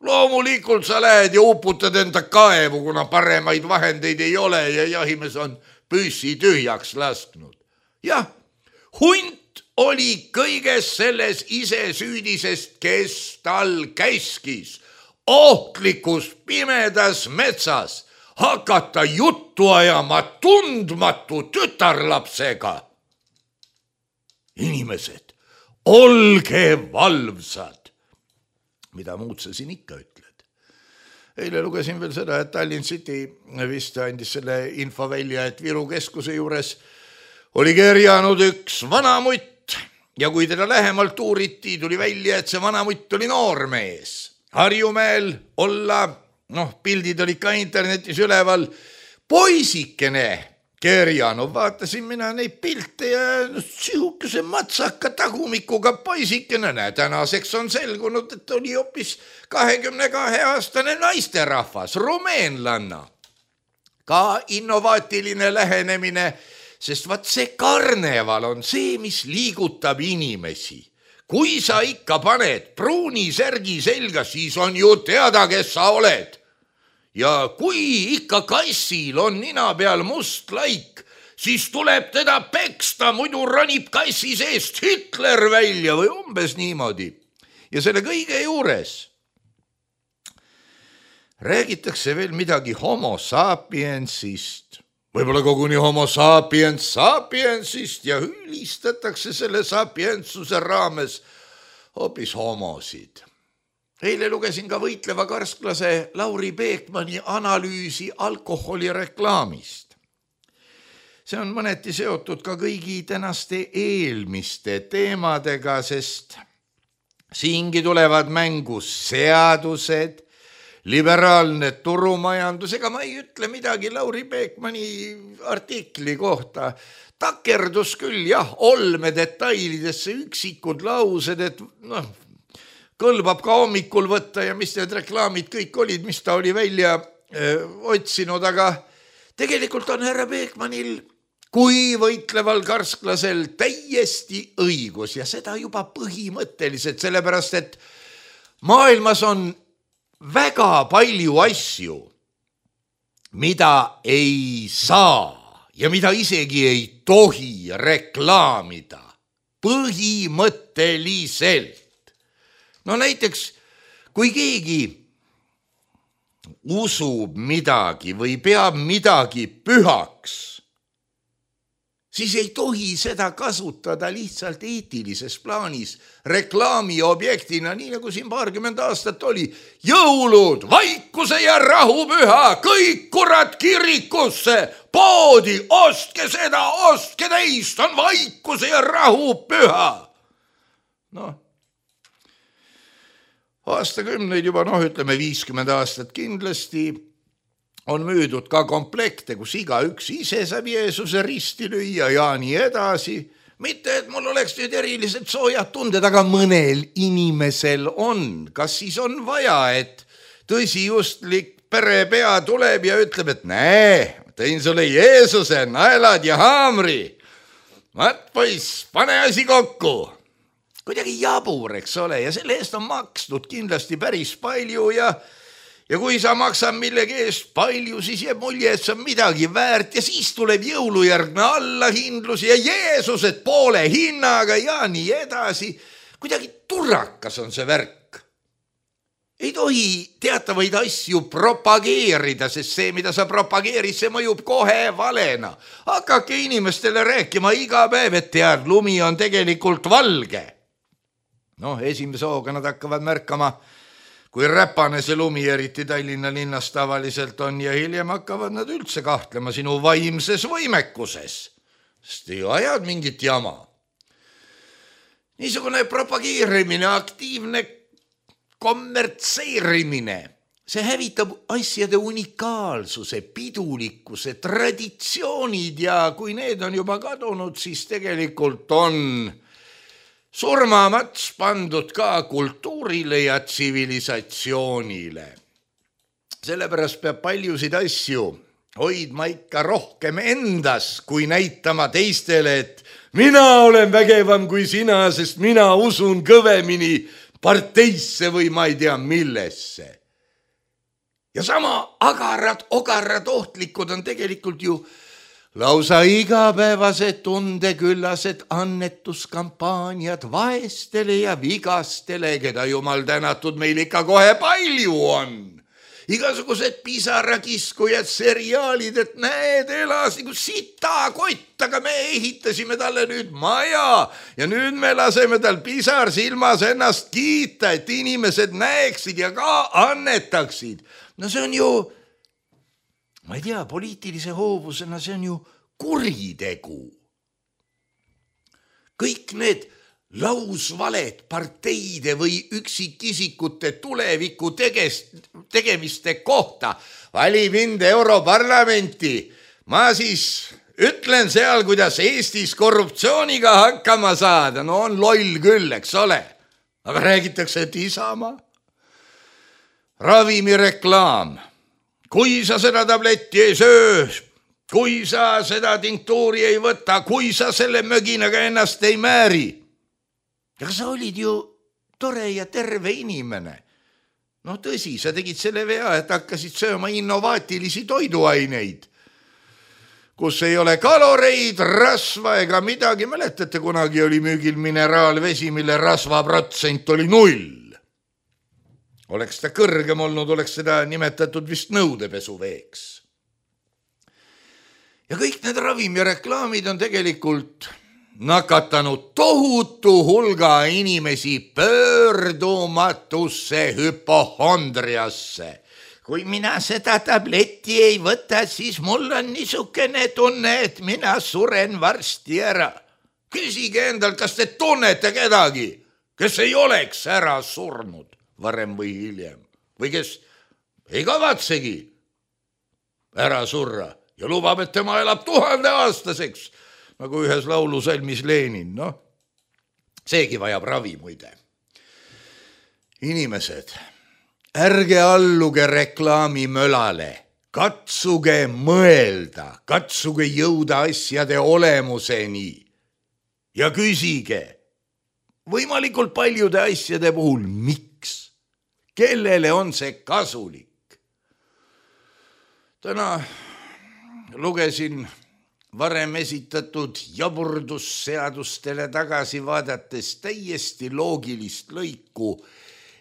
Loomulikult sa lähed ja uputad enda kaevu, kuna paremaid vahendeid ei ole ja jahimees on püssi tühjaks lasknud. Jah, hunt oli kõiges selles ise süüdisest, kes tal käskis ohtlikus pimedas metsas hakata juttu ajama tundmatu tütarlapsega. Inimesed, olge valvsad. Mida muud sa siin ikka ütled? Eile lugesin veel seda, et Tallinn City vist andis selle info välja, et Viru keskuse juures oli kerjanud üks vanamutt ja kui teda lähemalt uuriti, tuli välja, et see vanamutt oli noormees. Harjumäel olla, pildid olid ka internetis üleval, poisikene kerjanud, vaatasin mina neid pilte ja sihukese matsaka tagumikuga poisikene, tänaseks on selgunud, et oli hoopis 22-aastane naisterahvas, rumeenlanna. Ka innovaatiline lähenemine, sest vaat see karneval on see, mis liigutab inimesi. Kui sa ikka paned pruuni särgi selga, siis on ju teada, kes sa oled. Ja kui ikka kassil on nina peal must laik, siis tuleb teda peksta, muidu ronib kassi seest Hitler välja või umbes niimoodi. Ja selle kõige juures räägitakse veel midagi homo sapiensist, võib-olla koguni homo sapiensist ja ülistatakse selle sapientsuse raames hoopis homosid. Eile lugesin ka võitleva karsklase Lauri Peekmani analüüsi alkoholireklaamist. See on mõneti seotud ka kõigi tänaste eelmiste teemadega, sest siingi tulevad mängu seadused, liberaalne turumajandus, ega ma ei ütle midagi Lauri Peekmani artikli kohta. Takerdus küll, jah, olme detailidesse üksikud laused, et kõlbab ka hommikul võtta ja mis need reklaamid kõik olid, mis ta oli välja otsinud, aga tegelikult on härra Peekmanil kui võitleval karsklasel täiesti õigus ja seda juba põhimõtteliselt, sellepärast et maailmas on väga palju asju, mida ei saa ja mida isegi ei tohi reklaamida põhimõtteliselt. No näiteks, kui keegi usub midagi või peab midagi pühaks, siis ei tohi seda kasutada lihtsalt eetilises plaanis reklaamiobjektina, nii nagu siin 20 aastat oli. Jõulud, vaikuse ja rahupüha, kõik kurat kirikusse, poodi, ostke seda, ostke teist, on vaikuse ja rahupüha. Noh, aastakümneid juba, ütleme 50 aastat kindlasti on müüdud ka komplekte, kus igaüks ise saab Jeesuse risti lüüa ja nii edasi. Mitte, et mul oleks nüüd eriliselt soojad tunded, aga mõnel inimesel on. Kas siis on vaja, et tõsijustlik perepea tuleb ja ütleb, et näe, tõin sulle Jeesuse, naelad ja haamri. Vaat poiss, pane asi kokku. Kuidagi jabur, eks ole, ja selle eest on makstud kindlasti päris palju ja kui sa maksad millegi eest palju, siis jääb mulje, et see on midagi väärt ja siis tuleb jõulujärgne allahindlus ja Jeesused poole hinnaga ja nii edasi. Kuidagi turrakas on see värk. Ei tohi teatavaid asju propageerida, sest see, mida sa propageerid, see mõjub kohe valena. Hakake inimestele rääkima iga päev, et tead, lumi on tegelikult valge. Esimese hooga nad hakkavad märkama, kui räpane see lumi eriti Tallinna linnas tavaliselt on ja hiljem hakkavad nad üldse kahtlema sinu vaimses võimekuses, sest ei ajad mingit jama. Niisugune propageerimine, aktiivne kommertseerimine, see hävitab asjade unikaalsuse, pidulikkuse, traditsioonid ja kui need on juba kadunud, siis tegelikult on surmamats pandud ka kultuurile ja tsivilisatsioonile. Sellepärast peab paljusid asju hoidma ikka rohkem endas, kui näitama teistele, et mina olen vägevam kui sina, sest mina usun kõvemini parteisse või ma ei tea millesse. Ja sama ogarad ohtlikud on tegelikult ju lausa igapäevased tundeküllased annetuskampaaniad vaestele ja vigastele, keda jumal tänatud meil ikka kohe palju on. Igasugused pisarakiskujad, seriaalid, et näed, elas nagu sitakott, aga me ehitasime talle nüüd maja ja nüüd me laseme tal pisar silmas ennast kiita, et inimesed näeksid ja ka annetaksid. No see on ju, ma ei tea, poliitilise hoovusena see on ju kuritegu. Kõik need lausvaled parteide või üksikisikute tuleviku tegemiste kohta. Vali mind Europarlamenti. Ma siis ütlen seal, kuidas Eestis korruptsiooniga hakkama saada. No on loll küll, eks ole. Aga räägitakse, et Isamaa. Ravimireklaam. Kui sa seda tabletti ei söö, kui sa seda tinktuuri ei võta, kui sa selle möginaga ennast ei määri. Aga sa olid ju tore ja terve inimene. No tõsi, sa tegid selle vea, et hakkasid sööma innovaatilisi toiduaineid, kus ei ole kaloreid, rasva ega midagi. Mäletate, kunagi oli müügil mineraalvesi, mille rasvaprotsent oli 0. Oleks ta kõrgem olnud, oleks seda nimetatud vist nõudepesuveeks. Ja kõik need ravimireklaamid on tegelikult nakatanud tohutu hulga inimesi pöördumatusse hüpohondriasse. Kui mina seda tabletti ei võta, siis mul on niisugune tunne, et mina suren varsti ära. Küsige endalt, kas te tunnete kedagi, kes ei oleks ära surnud varem või hiljem, või kes ei kavatsegi ära surra ja lubab, et tema elab 1000-aastaseks, nagu ühes laulusalmis Lenin. Seegi vajab ravi muide. Inimesed, ärge alluge reklaamimölale, katsuge mõelda, katsuge jõuda asjade olemuseni ja küsige võimalikult paljude asjade puhul, miks, kellele on see kasulik. Täna lugesin varem esitatud jaburdusseadustele tagasi vaadates täiesti loogilist lõiku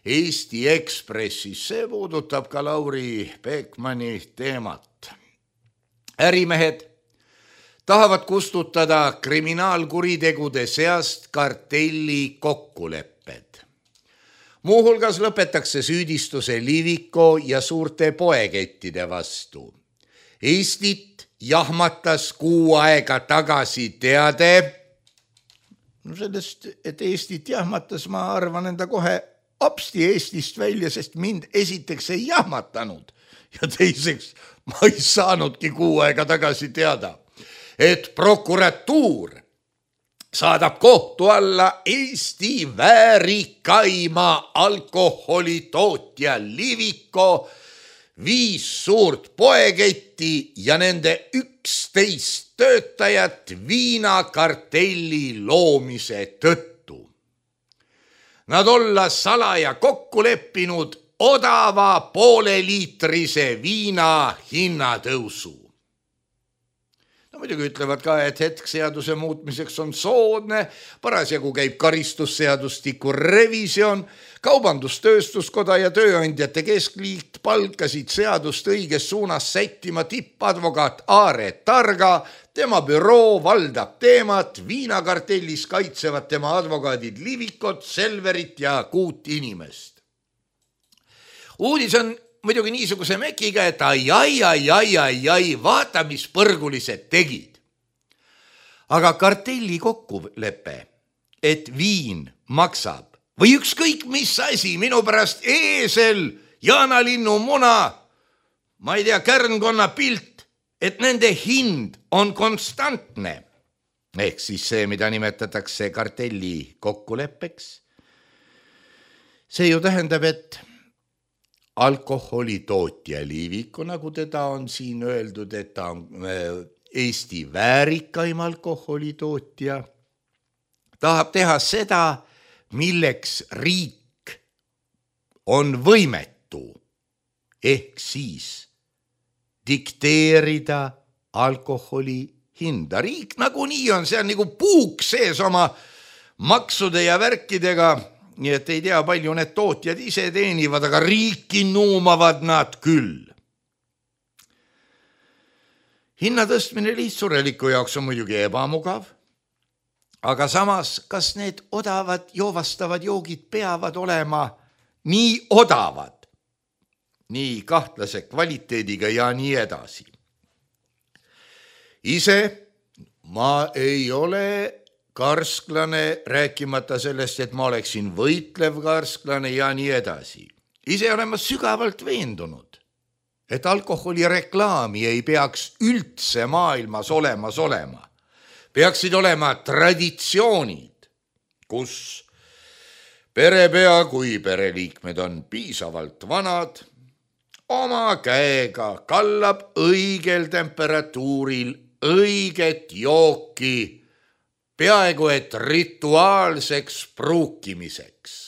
Eesti Ekspressis. See puudutab ka Lauri Peekmani teemat. Ärimehed tahavad kustutada kriminaalkuritegude seast kartelli kokkulepped. Muuhulgas lõpetakse süüdistuse Liviko ja suurte poekettide vastu. Eestit jahmatas 6 aega tagasi teade. Sellest, et Eestit jahmatas, ma arvan enda kohe apsti Eestist välja, sest mind esiteks ei jahmatanud ja teiseks ma ei saanudki 6 aega tagasi teada, et prokuratuur saadab kohtu alla Eesti väärikaima alkoholitootja Liviko, 5 suurt poeketti ja nende 11 töötajat viinakartelli loomise tõttu. Nad olla salaja kokku leppinud odava pooleliitrise viina hinnatõusu. No muidugi ütlevad ka, et hetk seaduse muutmiseks on soodne, parasjagu käib karistusseadustiku revisjon, Kaubandus-Tööstuskoda ja Tööandjate Keskliit palkasid seadust õiges suunas sättima tippadvokaat Aare Targa, tema büroo valdab teemat, viinakartellis kaitsevad tema advokaadid Livikot, Selverit ja 6 inimest. Uudis on muidugi niisuguse mekiga, et ai, vaata, mis põrgulised tegid. Aga kartelli kokkulepe, et viin maksab või ükskõik mis asi, minu pärast eesel, jaanalinnu muna, ma ei tea, kärnkonna pilt, et nende hind on konstantne. Ehk siis see, mida nimetatakse kartelli kokkuleppeks. See ju tähendab, et alkoholitootja Liviko, nagu teda on siin öeldud, et ta on Eesti väärikaim alkoholitootja, tahab teha seda, milleks riik on võimetu, ehk siis dikteerida alkoholi hinda. Riik nagunii on, see on nagu puuk sees oma maksude ja värkidega, nii et ei tea, palju need tootjad ise teenivad, aga riiki nuumavad nad küll. Hinna tõstmine lihtsureliku jaoks on muidugi ebamugav, aga samas, kas need odavad joovastavad joogid peavad olema nii odavad, nii kahtlase kvaliteediga ja nii edasi. Ise ma ei ole karsklane, rääkimata sellest, et ma oleksin võitlev karsklane ja nii edasi. Ise olen ma sügavalt veendunud, et alkoholireklaami ei peaks üldse maailmas olema. Peaksid olema traditsioonid, kus perepea, kui pereliikmed on piisavalt vanad, oma käega kallab õigel temperatuuril õiget jooki, peaaegu et rituaalseks pruukimiseks.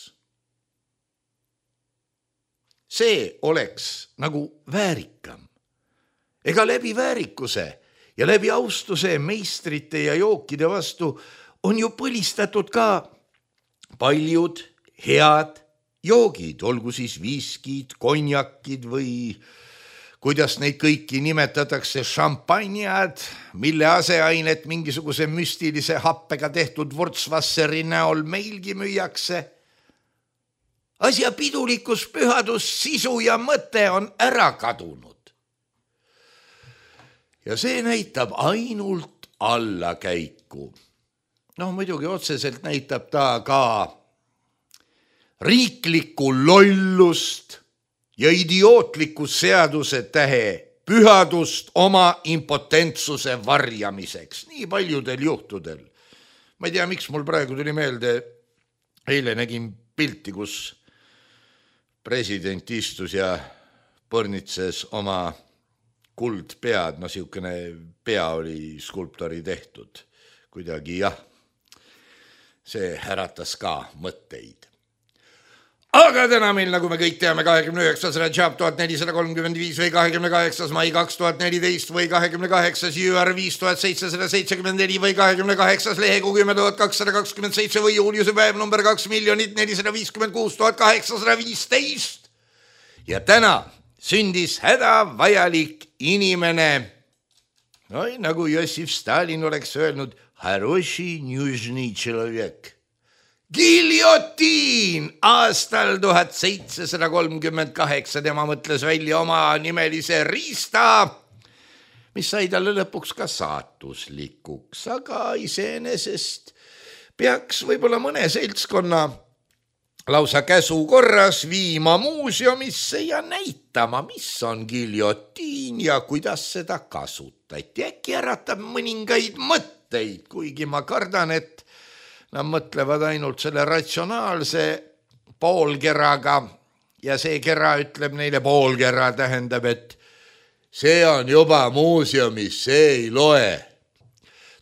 See oleks nagu väärikam. Ega läbi väärikuse ja läbi austuse meistrite ja jookide vastu on ju põlistatud ka paljud head joogid, olgu siis viskid, konjakid või kuidas neid kõiki nimetatakse, šampanjad, mille aseainet mingisuguse müstilise happega tehtud Wurzwasseri näol meilgi müüakse. Asja pidulikus pühadus, sisu ja mõte on ära kadunud. Ja see näitab ainult allakäiku. Muidugi otseselt näitab ta ka riiklikku lollust ja idiootliku seaduse tähe pühadust oma impotentsuse varjamiseks. Nii paljudel juhtudel. Ma ei tea, miks mul praegu tuli meelde, eile nägin pilti, kus president istus ja põrnitses oma kuldpead, no siukene pea oli skulptori tehtud. Kuidagi jah, see äratas ka mõtteid. Aga täna meil, nagu me kõik teame, 29. Rajab 1435 või 28. mai 2014 või 28. jüär 5774 või 28. lehekuu 10227 või juuliuse päev number 2 456 815. Ja täna sündis hädavajalik inimene. Oi, nagu Jossif Stalin oleks öelnud, хороший нужный человек. Giljotiin aastal 1738 tema mõtles välja oma nimelise riista, mis sai talle lõpuks ka saatuslikuks, aga iseenesest peaks võib-olla mõne seltskonna lausa käsu korras viima muuseumisse ja näitama, mis on giljotiin ja kuidas seda kasutati. Äkki äratab mõningaid mõtteid, kuigi ma kardan, et nad mõtlevad ainult selle ratsionaalse poolkeraga ja see kera ütleb neile poolkera, tähendab, et see on juba muuseumis, see ei loe.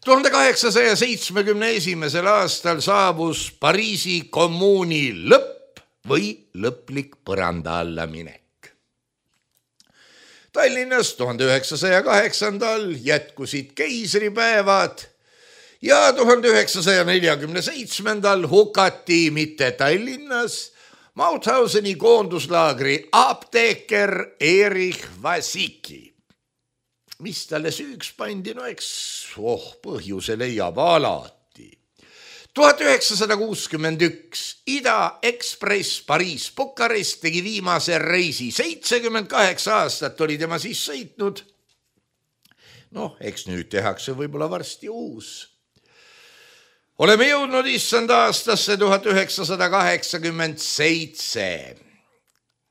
1871. aastal saabus Pariisi kommuuni lõpp või lõplik põranda alla minek. Tallinnas 1908. jätkusid keisripäevad ja 1947. hukati mitte Tallinnas Mauthauseni koonduslaagri apteeker Erich Vasicki. Mis talle süüks pandi, no eks põhjuse leiab alati. 1961 Ida Express Pariis-Bukarest tegi viimase reisi. 78 aastat oli tema siis sõitnud. Noh, eks nüüd tehakse võib-olla varsti uus. Oleme jõudnud issand aastasse 1987.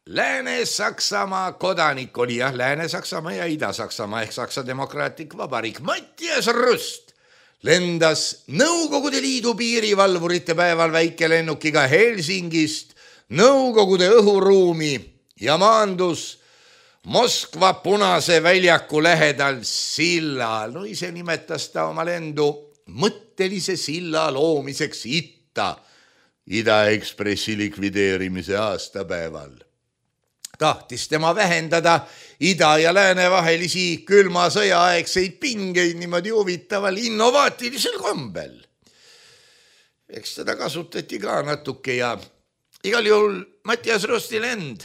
Lääne-Saksamaa kodanik oli Lääne-Saksamaa ja Ida-Saksamaa ehk Saksa Demokraatlik Vabariik. Mattias Rust lendas Nõukogude Liidu piirivalvurite päeval väikelennukiga Helsingist Nõukogude õhuruumi ja maandus Moskva Punase väljaku lähedal sillal. No ise nimetas ta oma lendu mõttelise silla loomiseks Ida Ekspressi likvideerimise aastapäeval. Tahtis tema vähendada ida ja lääne vahelisi külma sõjaaegseid pingeid niimoodi huvitaval innovaatilisel kombel. Eks teda kasutati ka natuke ja igal juhul Mattias Rusti lend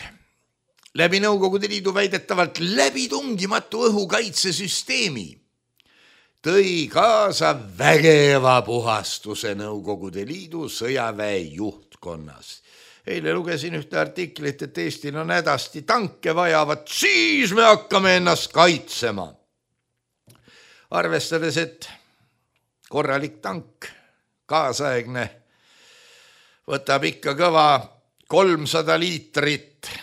läbi Nõukogude Liidu väidetavalt läbitungimatu õhukaitsesüsteemi tõi kaasa vägeva puhastuse Nõukogude Liidu sõjaväe juhtkonnas. Eile lugesin ühte artiklit, et Eestil on hädasti tanke vajavat, siis me hakkame ennast kaitsema. Arvestades, et korralik tank, kaasaegne, võtab ikka kõva 300 liitrit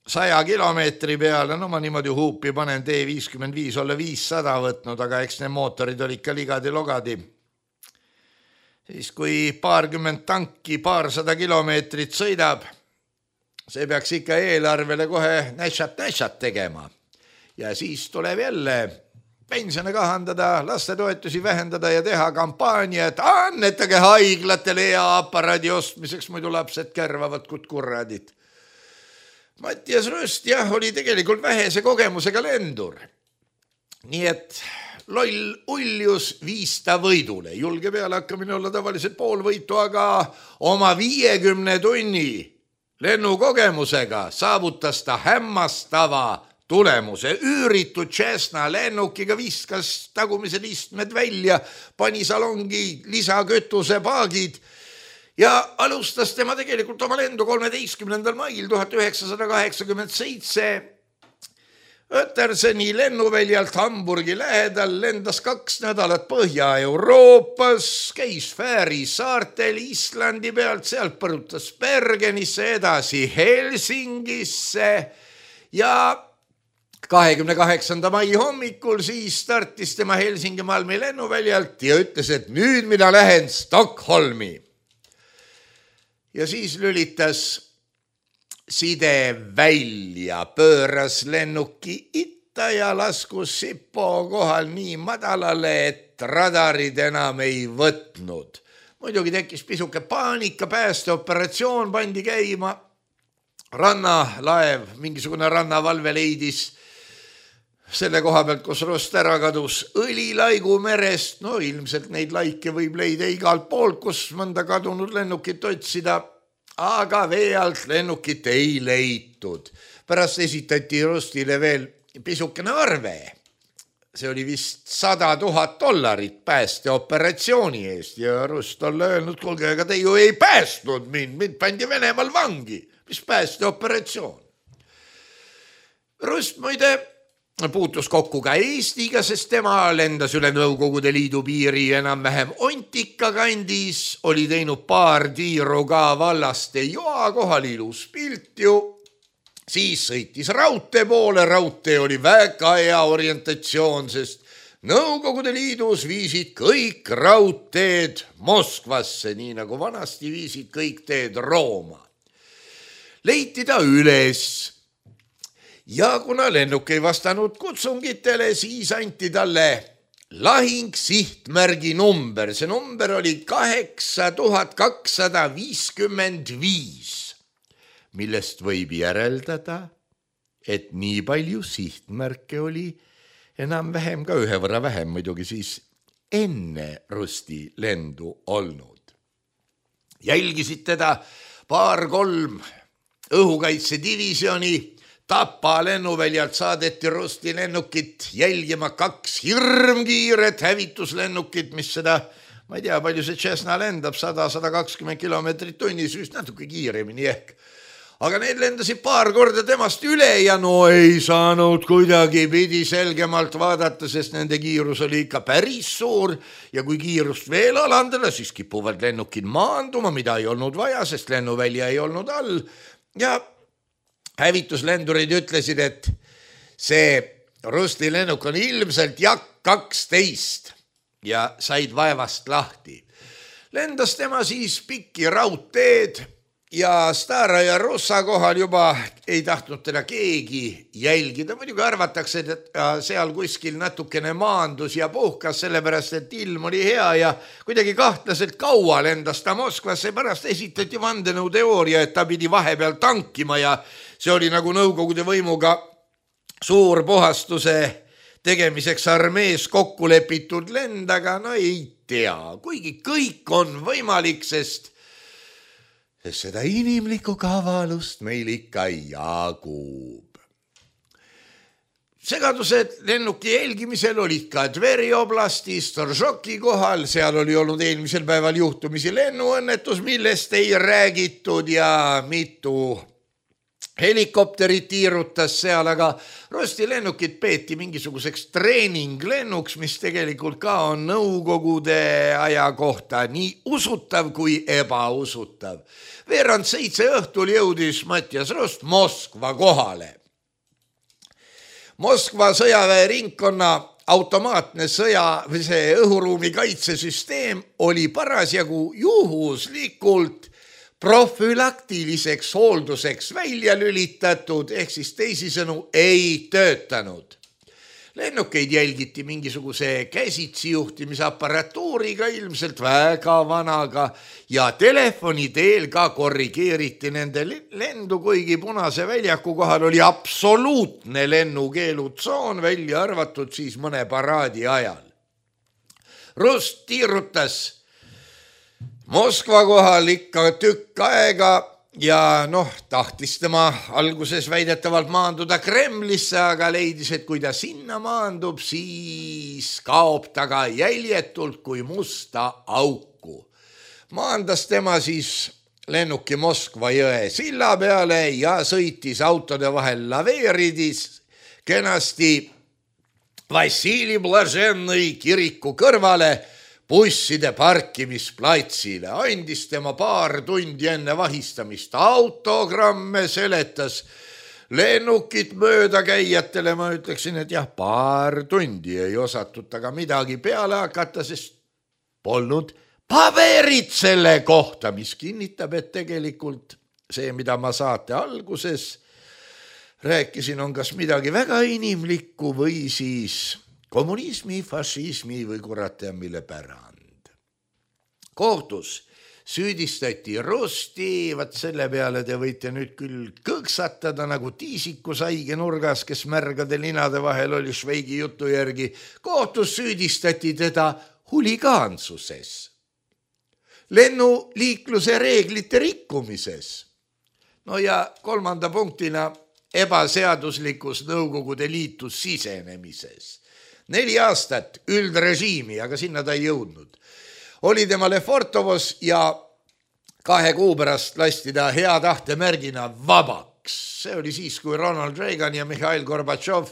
100 kilomeetri peale, no ma niimoodi huupi panen T55 olla 500 võtnud, aga eks need mootorid olid ka ligadi-logadi. Siis kui paarkümmend tanki 200 kilomeetrit sõidab, see peaks ikka eelarvele kohe näšat tegema. Ja siis tuleb jälle pensione kahandada, lastetoetusi vähendada ja teha kampaania, et annetage haiglatele hea aparaadi ostmiseks, muidu lapsed kärvavad kurradid. Mattias Rust oli tegelikult vähese kogemusega lendur. Nii et loll uljus viis ta võidule. Julge peale hakkamine olla tavaliselt pool võitu, aga oma 50 tunni lennukogemusega saavutas ta hämmastava tulemuse. Üüritud Cessna lennukiga viskas tagumised istmed välja, pani salongi lisakütuse paagid ja alustas tema tegelikult oma lendu 13. mail 1987 Ötterseni lennuväljalt Hamburgi lähedal, lendas 2 nädalat Põhja-Euroopas, käis Fääri saartel Islandi pealt, sealt põrutas Bergenisse, edasi Helsingisse ja 28. mai hommikul siis startis tema Helsingi Malmi lennuväljalt ja ütles, et nüüd mina lähen Stockholmi. Ja siis lülitas side välja, pööras lennuki itta ja laskus Sipo kohal nii madalale, et radarid enam ei võtnud. Muidugi tekkis pisuke paanika, päästeoperatsioon pandi käima. Rannalaev, mingisugune rannavalve leidis selle koha pealt, kus Rust ära kadus, õlilaigu merest. No ilmselt neid laike võib leida igalt poolt, kus mõnda kadunud lennukit otsida, aga vee alt lennukit ei leitud. Pärast esitati Rustile veel pisukene arve. See oli vist $100,000 päästeoperatsiooni eest ja Rust olla öelnud, kuulge, aga te ju ei päästnud mind pandi Venemaal vangi. Mis päästeoperatsioon? Rust muide puutus kokku ka Eestiga, sest tema lendas üle Nõukogude Liidu piiri enam-vähem Ontika kandis, oli teinud paar tiiru ka Vallaste joa kohal, ilus pilt ju. Siis sõitis raudtee poole, raudtee oli väga hea orientatsioon, sest Nõukogude Liidus viisid kõik raudteed Moskvasse, nii nagu vanasti viisid kõik teed Rooma. Leiti ta üles ja kuna lennuk ei vastanud kutsungitele, siis anti talle lahing sihtmärgi number. See number oli 8255, millest võib järeldada, et nii palju sihtmärke oli enam-vähem ka ühe võrra vähem muidugi siis enne Rusti lendu olnud. Jälgisid teda 2-3 õhukaitsedivisjoni, Tapa lennuväljalt saadeti Rusti lennukit jälgima 2 hirmkiiret hävituslennukit, mis seda, ma ei tea, palju see Cessna lendab, 100-120 kilomeetrit tunnis, vist natuke kiiremini ehk. Aga need lendasid 2 korda temast üle ja no ei saanud kuidagi, pidi selgemalt vaadata, sest nende kiirus oli ikka päris suur ja kui kiirust veel alandada, siis kipuvad lennukid maanduma, mida ei olnud vaja, sest lennuvälja ei olnud all ja hävituslendurid ütlesid, et see Rusti lennuk on ilmselt Jak-12 ja said vaevast lahti. Lendas tema siis pikki raudteed ja Stara ja Russa kohal juba ei tahtnud teda keegi jälgida. Muidugi arvatakse, et seal kuskil natukene maandus ja puhkas, sellepärast et ilm oli hea ja kuidagi kahtlaselt kaua lendas ta Moskvasse. Pärast esitati vandenõuteooria, et ta pidi vahepeal tankima ja see oli nagu Nõukogude võimuga suur puhastuse tegemiseks armees kokku lepitud lend, aga no ei tea, kuigi kõik on võimalik, sest seda inimlikku kavalust meil ikka jagub. Segadused lennuki jälgimisel olid ka Tveri oblasti Storžoki kohal, seal oli olnud eelmisel päeval juhtumisi lennuõnnetus, millest ei räägitud ja mitu helikopterit tiirutas seal, aga Rusti lennukit peeti mingisuguseks treeninglennuks, mis tegelikult ka on Nõukogude aja kohta nii usutav kui ebausutav. 6:30 õhtul jõudis Mattias Rust Moskva kohale. Moskva sõjaväeringkonna automaatne see õhuruumi kaitsesüsteem oli parasjagu juhuslikult profülaktiliseks hoolduseks välja lülitatud, ehk siis teisisõnu ei töötanud. Lennukeid jälgiti mingisuguse käsitsi juhtimisapparatuuriga, ilmselt väga vanaga, ja telefoni teel ka korrigeeriti nende lendu, kuigi Punase väljaku kohal oli absoluutne lennukeelutsoon, välja arvatud siis mõne paraadi ajal. Rust tiirutas Moskva kohal ikka tükk aega ja tahtis tema alguses väidetavalt maanduda Kremlisse, aga leidis, et kui ta sinna maandub, siis kaob ta ka jäljetult kui musta auku. Maandas tema siis lennuki Moskva jõe silla peale ja sõitis autode vahel laveeridis kenasti Vassili Blažennõi kiriku kõrvale busside parkimisplatsile, andis tema 2 tundi enne vahistamist autogramme, seletas lennukit mööda käijatele. Ma ütleksin, et jah, 2 tundi ei osatud taga midagi peale hakata, sest polnud paberit selle kohta, mis kinnitab, et tegelikult see, mida ma saate alguses rääkisin, on kas midagi väga inimlikku või siis kommunismi, fašismi või kurat ja mille pärand. Kohtus süüdistati Rosti, vaat selle peale te võite nüüd küll kõksatada nagu tiisiku saige nurgas, kes märgade linade vahel oli Šveigi jutu järgi. Kohtus süüdistati teda huligaansuses, lennuliikluse reeglite rikkumises. No ja kolmanda punktina ebaseaduslikus Nõukogude Liitu sisenemises. 4 aastat üldrežiimi, aga sinna ta ei jõudnud. Oli tema Lefortovos ja 2 kuu pärast lasti ta hea tahte märgina vabaks. See oli siis, kui Ronald Reagan ja Mihhail Gorbatšov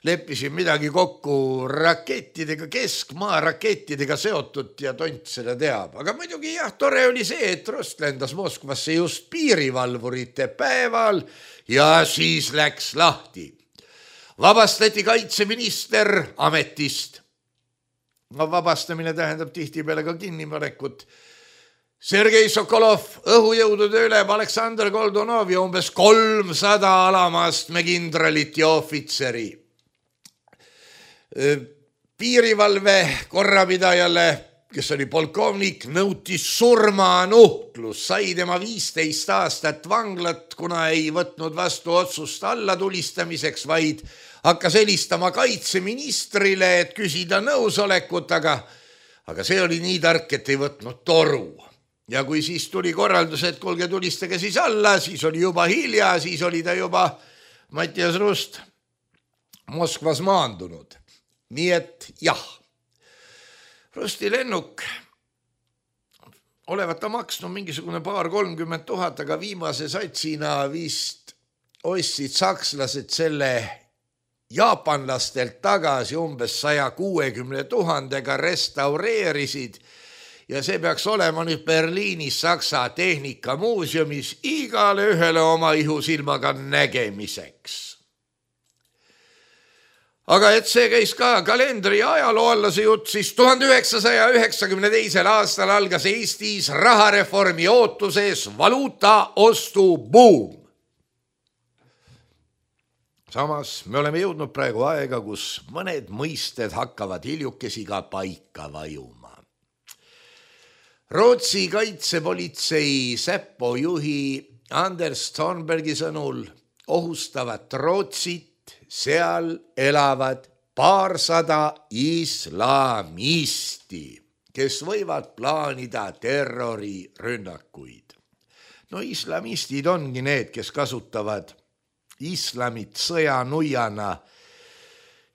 leppisid midagi kokku rakettidega, keskmaa rakettidega seotud ja tont seda teab. Aga muidugi jah, tore oli see, et Rost lendas Moskvasse just piirivalvurite päeval ja siis läks lahti. Vabastati kaitseminister ametist. No vabastamine tähendab tihtipeale ka kinnipanekut. Sergei Sokolov, õhujõudude ülem Aleksandr Goldunov ja umbes 300 alamastme kindralit ja ohvitseri. Piirivalve korrapidajale, kes oli polkovnik, nõuti surmanuhtlus, sai tema 15 aastat vanglat, kuna ei võtnud vastu otsust allatulistamiseks, vaid hakkas helistama kaitseministrile, et küsida nõusolekut, aga see oli nii tark, et ei võtnud toru. Ja kui siis tuli korraldus, et kuulge, tulistage siis alla, siis oli juba hilja, siis oli ta juba Mattias Rust Moskvas maandunud. Nii et jah, Rusti lennuk olevat ta maksnud mingisugune 30 000, aga viimase satsina vist ostsid sakslased selle jaapanlastelt tagasi umbes 160 000-ga, restaureerisid ja see peaks olema nüüd Berliinis Saksa Tehnikamuuseumis igale ühele oma ihusilmaga nägemiseks. Aga et see käis ka kalendri ja ajaloo alla see jutt, siis 1992. aastal algas Eestis rahareformi ootuses valuuta ostu buum. Samas me oleme jõudnud praegu aega, kus mõned mõisted hakkavad hiljukesi ka paika vajuma. Rootsi kaitsepolitsei Säpo juhi Anders Thornbergi sõnul ohustavat Rootsit seal elavad 200 islamisti, kes võivad plaanida terrorirünnakuid. No islamistid ongi need, kes kasutavad islamit sõjanuiana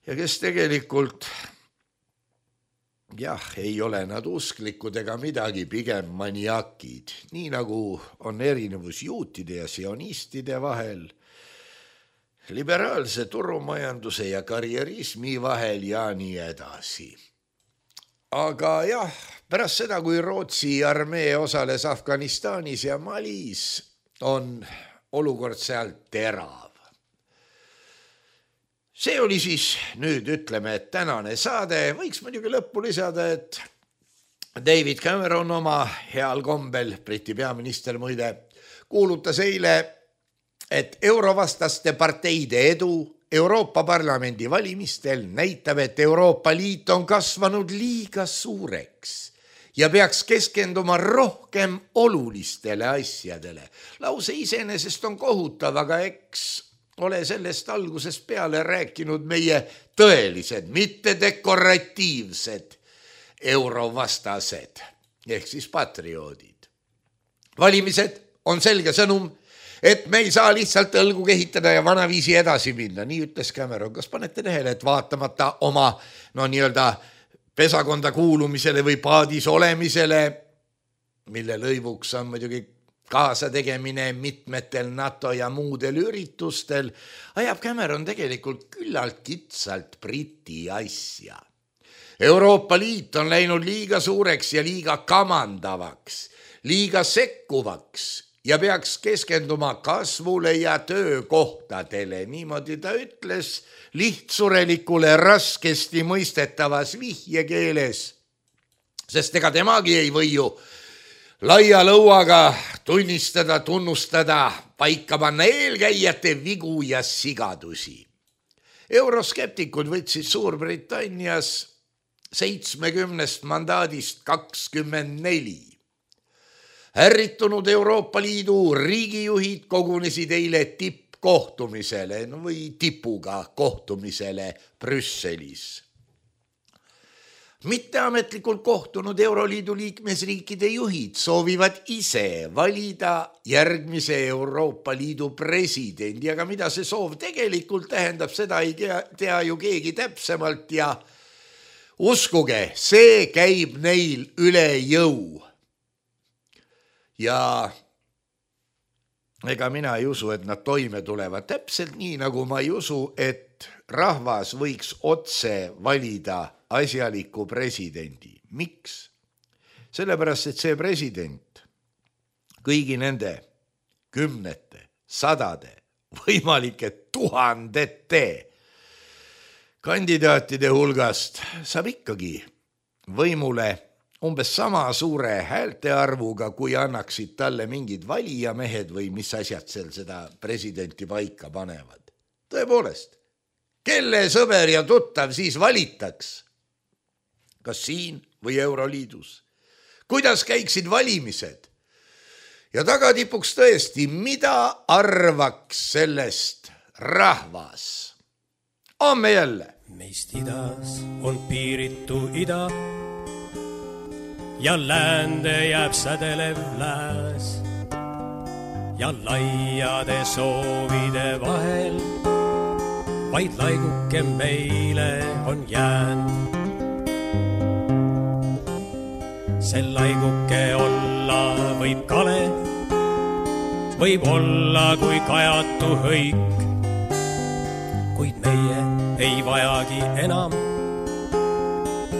ja kes tegelikult ei ole nad usklikud ega midagi, pigem maniakid, nii nagu on erinevus juutide ja sionistide vahel, liberaalse turumajanduse ja karjerismi vahel ja nii edasi. Aga jah, pärast seda, kui Rootsi armee osales Afganistanis ja Malis, on olukord seal terav. See oli siis nüüd, ütleme, et tänane saade. Võiks muidugi lõppu lisada, et David Cameron oma heal kombel, Briti peaminister muide, kuulutas eile, et eurovastaste parteide edu Euroopa Parlamendi valimistel näitab, et Euroopa Liit on kasvanud liiga suureks ja peaks keskenduma rohkem olulistele asjadele. Lause iseenesest on kohutav, aga eks ole sellest algusest peale rääkinud meie tõelised, mitte dekoratiivsed eurovastased, ehk siis patrioodid. Valimised on selge sõnum, et me ei saa lihtsalt õlgu kehitada ja vanaviisi edasi minna, nii ütles Cameron. Kas panete tähele, et vaatamata oma nii-öelda pesakonda kuulumisele või paadis olemisele, mille lõivuks on muidugi kaasategemine mitmetel NATO ja muudel üritustel, ajab Cameron tegelikult küllalt kitsalt Briti asja. Euroopa Liit on läinud liiga suureks ja liiga kamandavaks, liiga sekkuvaks ja peaks keskenduma kasvule ja töökohtadele. Niimoodi ta ütles lihtsurelikule raskesti mõistetavas vihjekeeles, sest ega temagi ei või ju laia lõuaga tunnistada, tunnustada, paika panna eelkäijate vigu ja sigadusi. Euroskeptikud võtsid Suurbritannias 70 mandaadist 24. Ärritunud Euroopa Liidu riigijuhid kogunesid eile tippkohtumisele või tipuga kohtumisele Brüsselis. Mitteametlikult kohtunud Euroliidu liikmesriikide juhid soovivad ise valida järgmise Euroopa Liidu presidendi, aga mida see soov tegelikult tähendab, seda ei tea ju keegi täpsemalt ja uskuge, see käib neil üle jõu. Ja ega mina ei usu, et nad toime tulevad täpselt nii, nagu ma ei usu, et rahvas võiks otse valida asjaliku presidendi. Miks? Sellepärast, et see president kõigi nende kümnete, sadade, võimalike tuhandete kandidaatide hulgast saab ikkagi võimule umbes sama suure häälte arvuga, kui annaksid talle mingid valijamehed või mis asjad seal seda presidenti paika panevad. Tõepoolest, kelle sõber ja tuttav siis valitaks? Kas siin või Euroliidus? Kuidas käiksid valimised? Ja tagatipuks tõesti, mida arvaks sellest rahvas? Homme jälle. Meist idas on piiritu ida ja läände jääb sädelev lääs ja laiade soovide vahel vaid laiguke meile on jäänud. See laiguke olla võib kale, võib olla kui kajatu hõik, kuid meie ei vajagi enam.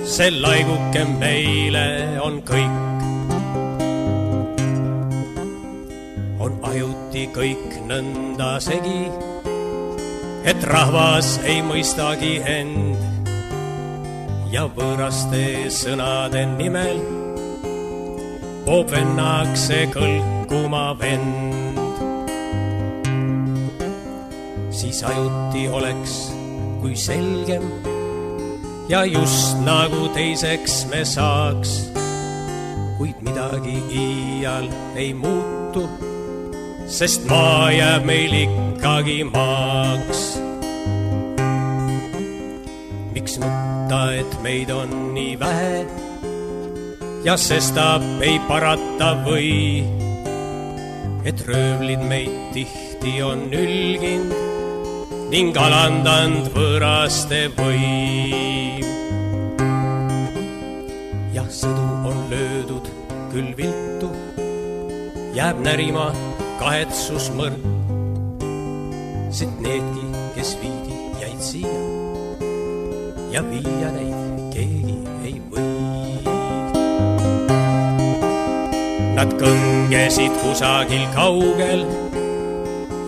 See laiguke meile on kõik. On ajuti kõik nõnda segi, et rahvas ei mõistagi end ja võõraste sõnade nimel poob vennakse kõlkuma vend. Siis ajuti oleks kui selgem ja just nagu teiseks me saaks, kuid midagi iial ei muutu, sest maa jääb meil ikkagi maaks. Miks nutta, et meid on nii vähe ja sestap ei parata või, et röövlid meid tihti on ülgind ning alandanud võõraste võim. Jah, sõdu on löödud küll viltu, jääb närima kahetsusmõrd, sest needki, kes viidi, jäid siia ja viia neid keegi ei või. Nad kõngesid kusagil kaugel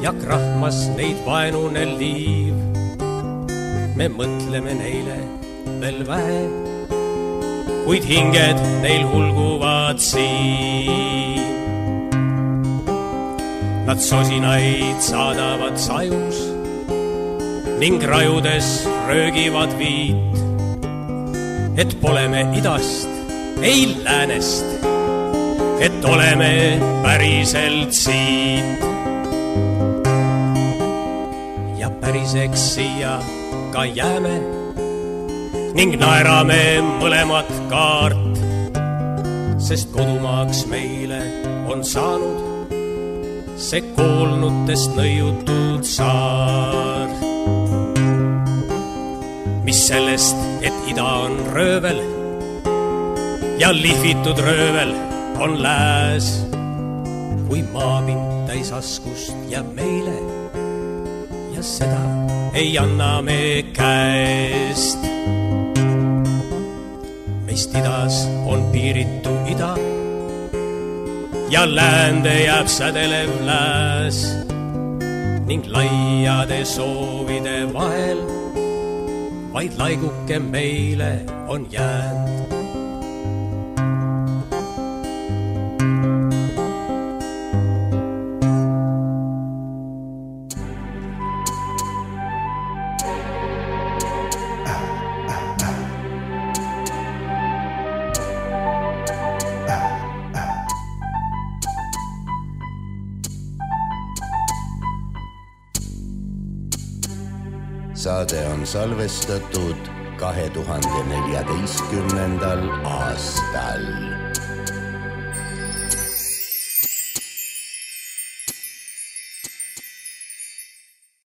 ja krahmas neid vaenune liiv. Me mõtleme neile veel vähe, kuid hinged neil hulguvad siin. Nad sosinaid saadavad sajus ning rajudes röögivad viit, et pole me idast, ei läänest, et oleme päriselt siit. Ja päriseks siia ka jääme ning naerame mõlemat kaart, sest kodumaaks meile on saanud see koolnutest nõiutud saar. Mis sellest, et ida on röövel ja lihvitud röövel on lääs, kui maapind täis askust jääb meile ja seda ei anna me käest. Meist idas on piiritu ida ja läände jääb sädelev lääs ning laiade soovide vahel vaid laiguke meile on jäänud. saade on salvestatud 2014. aastal.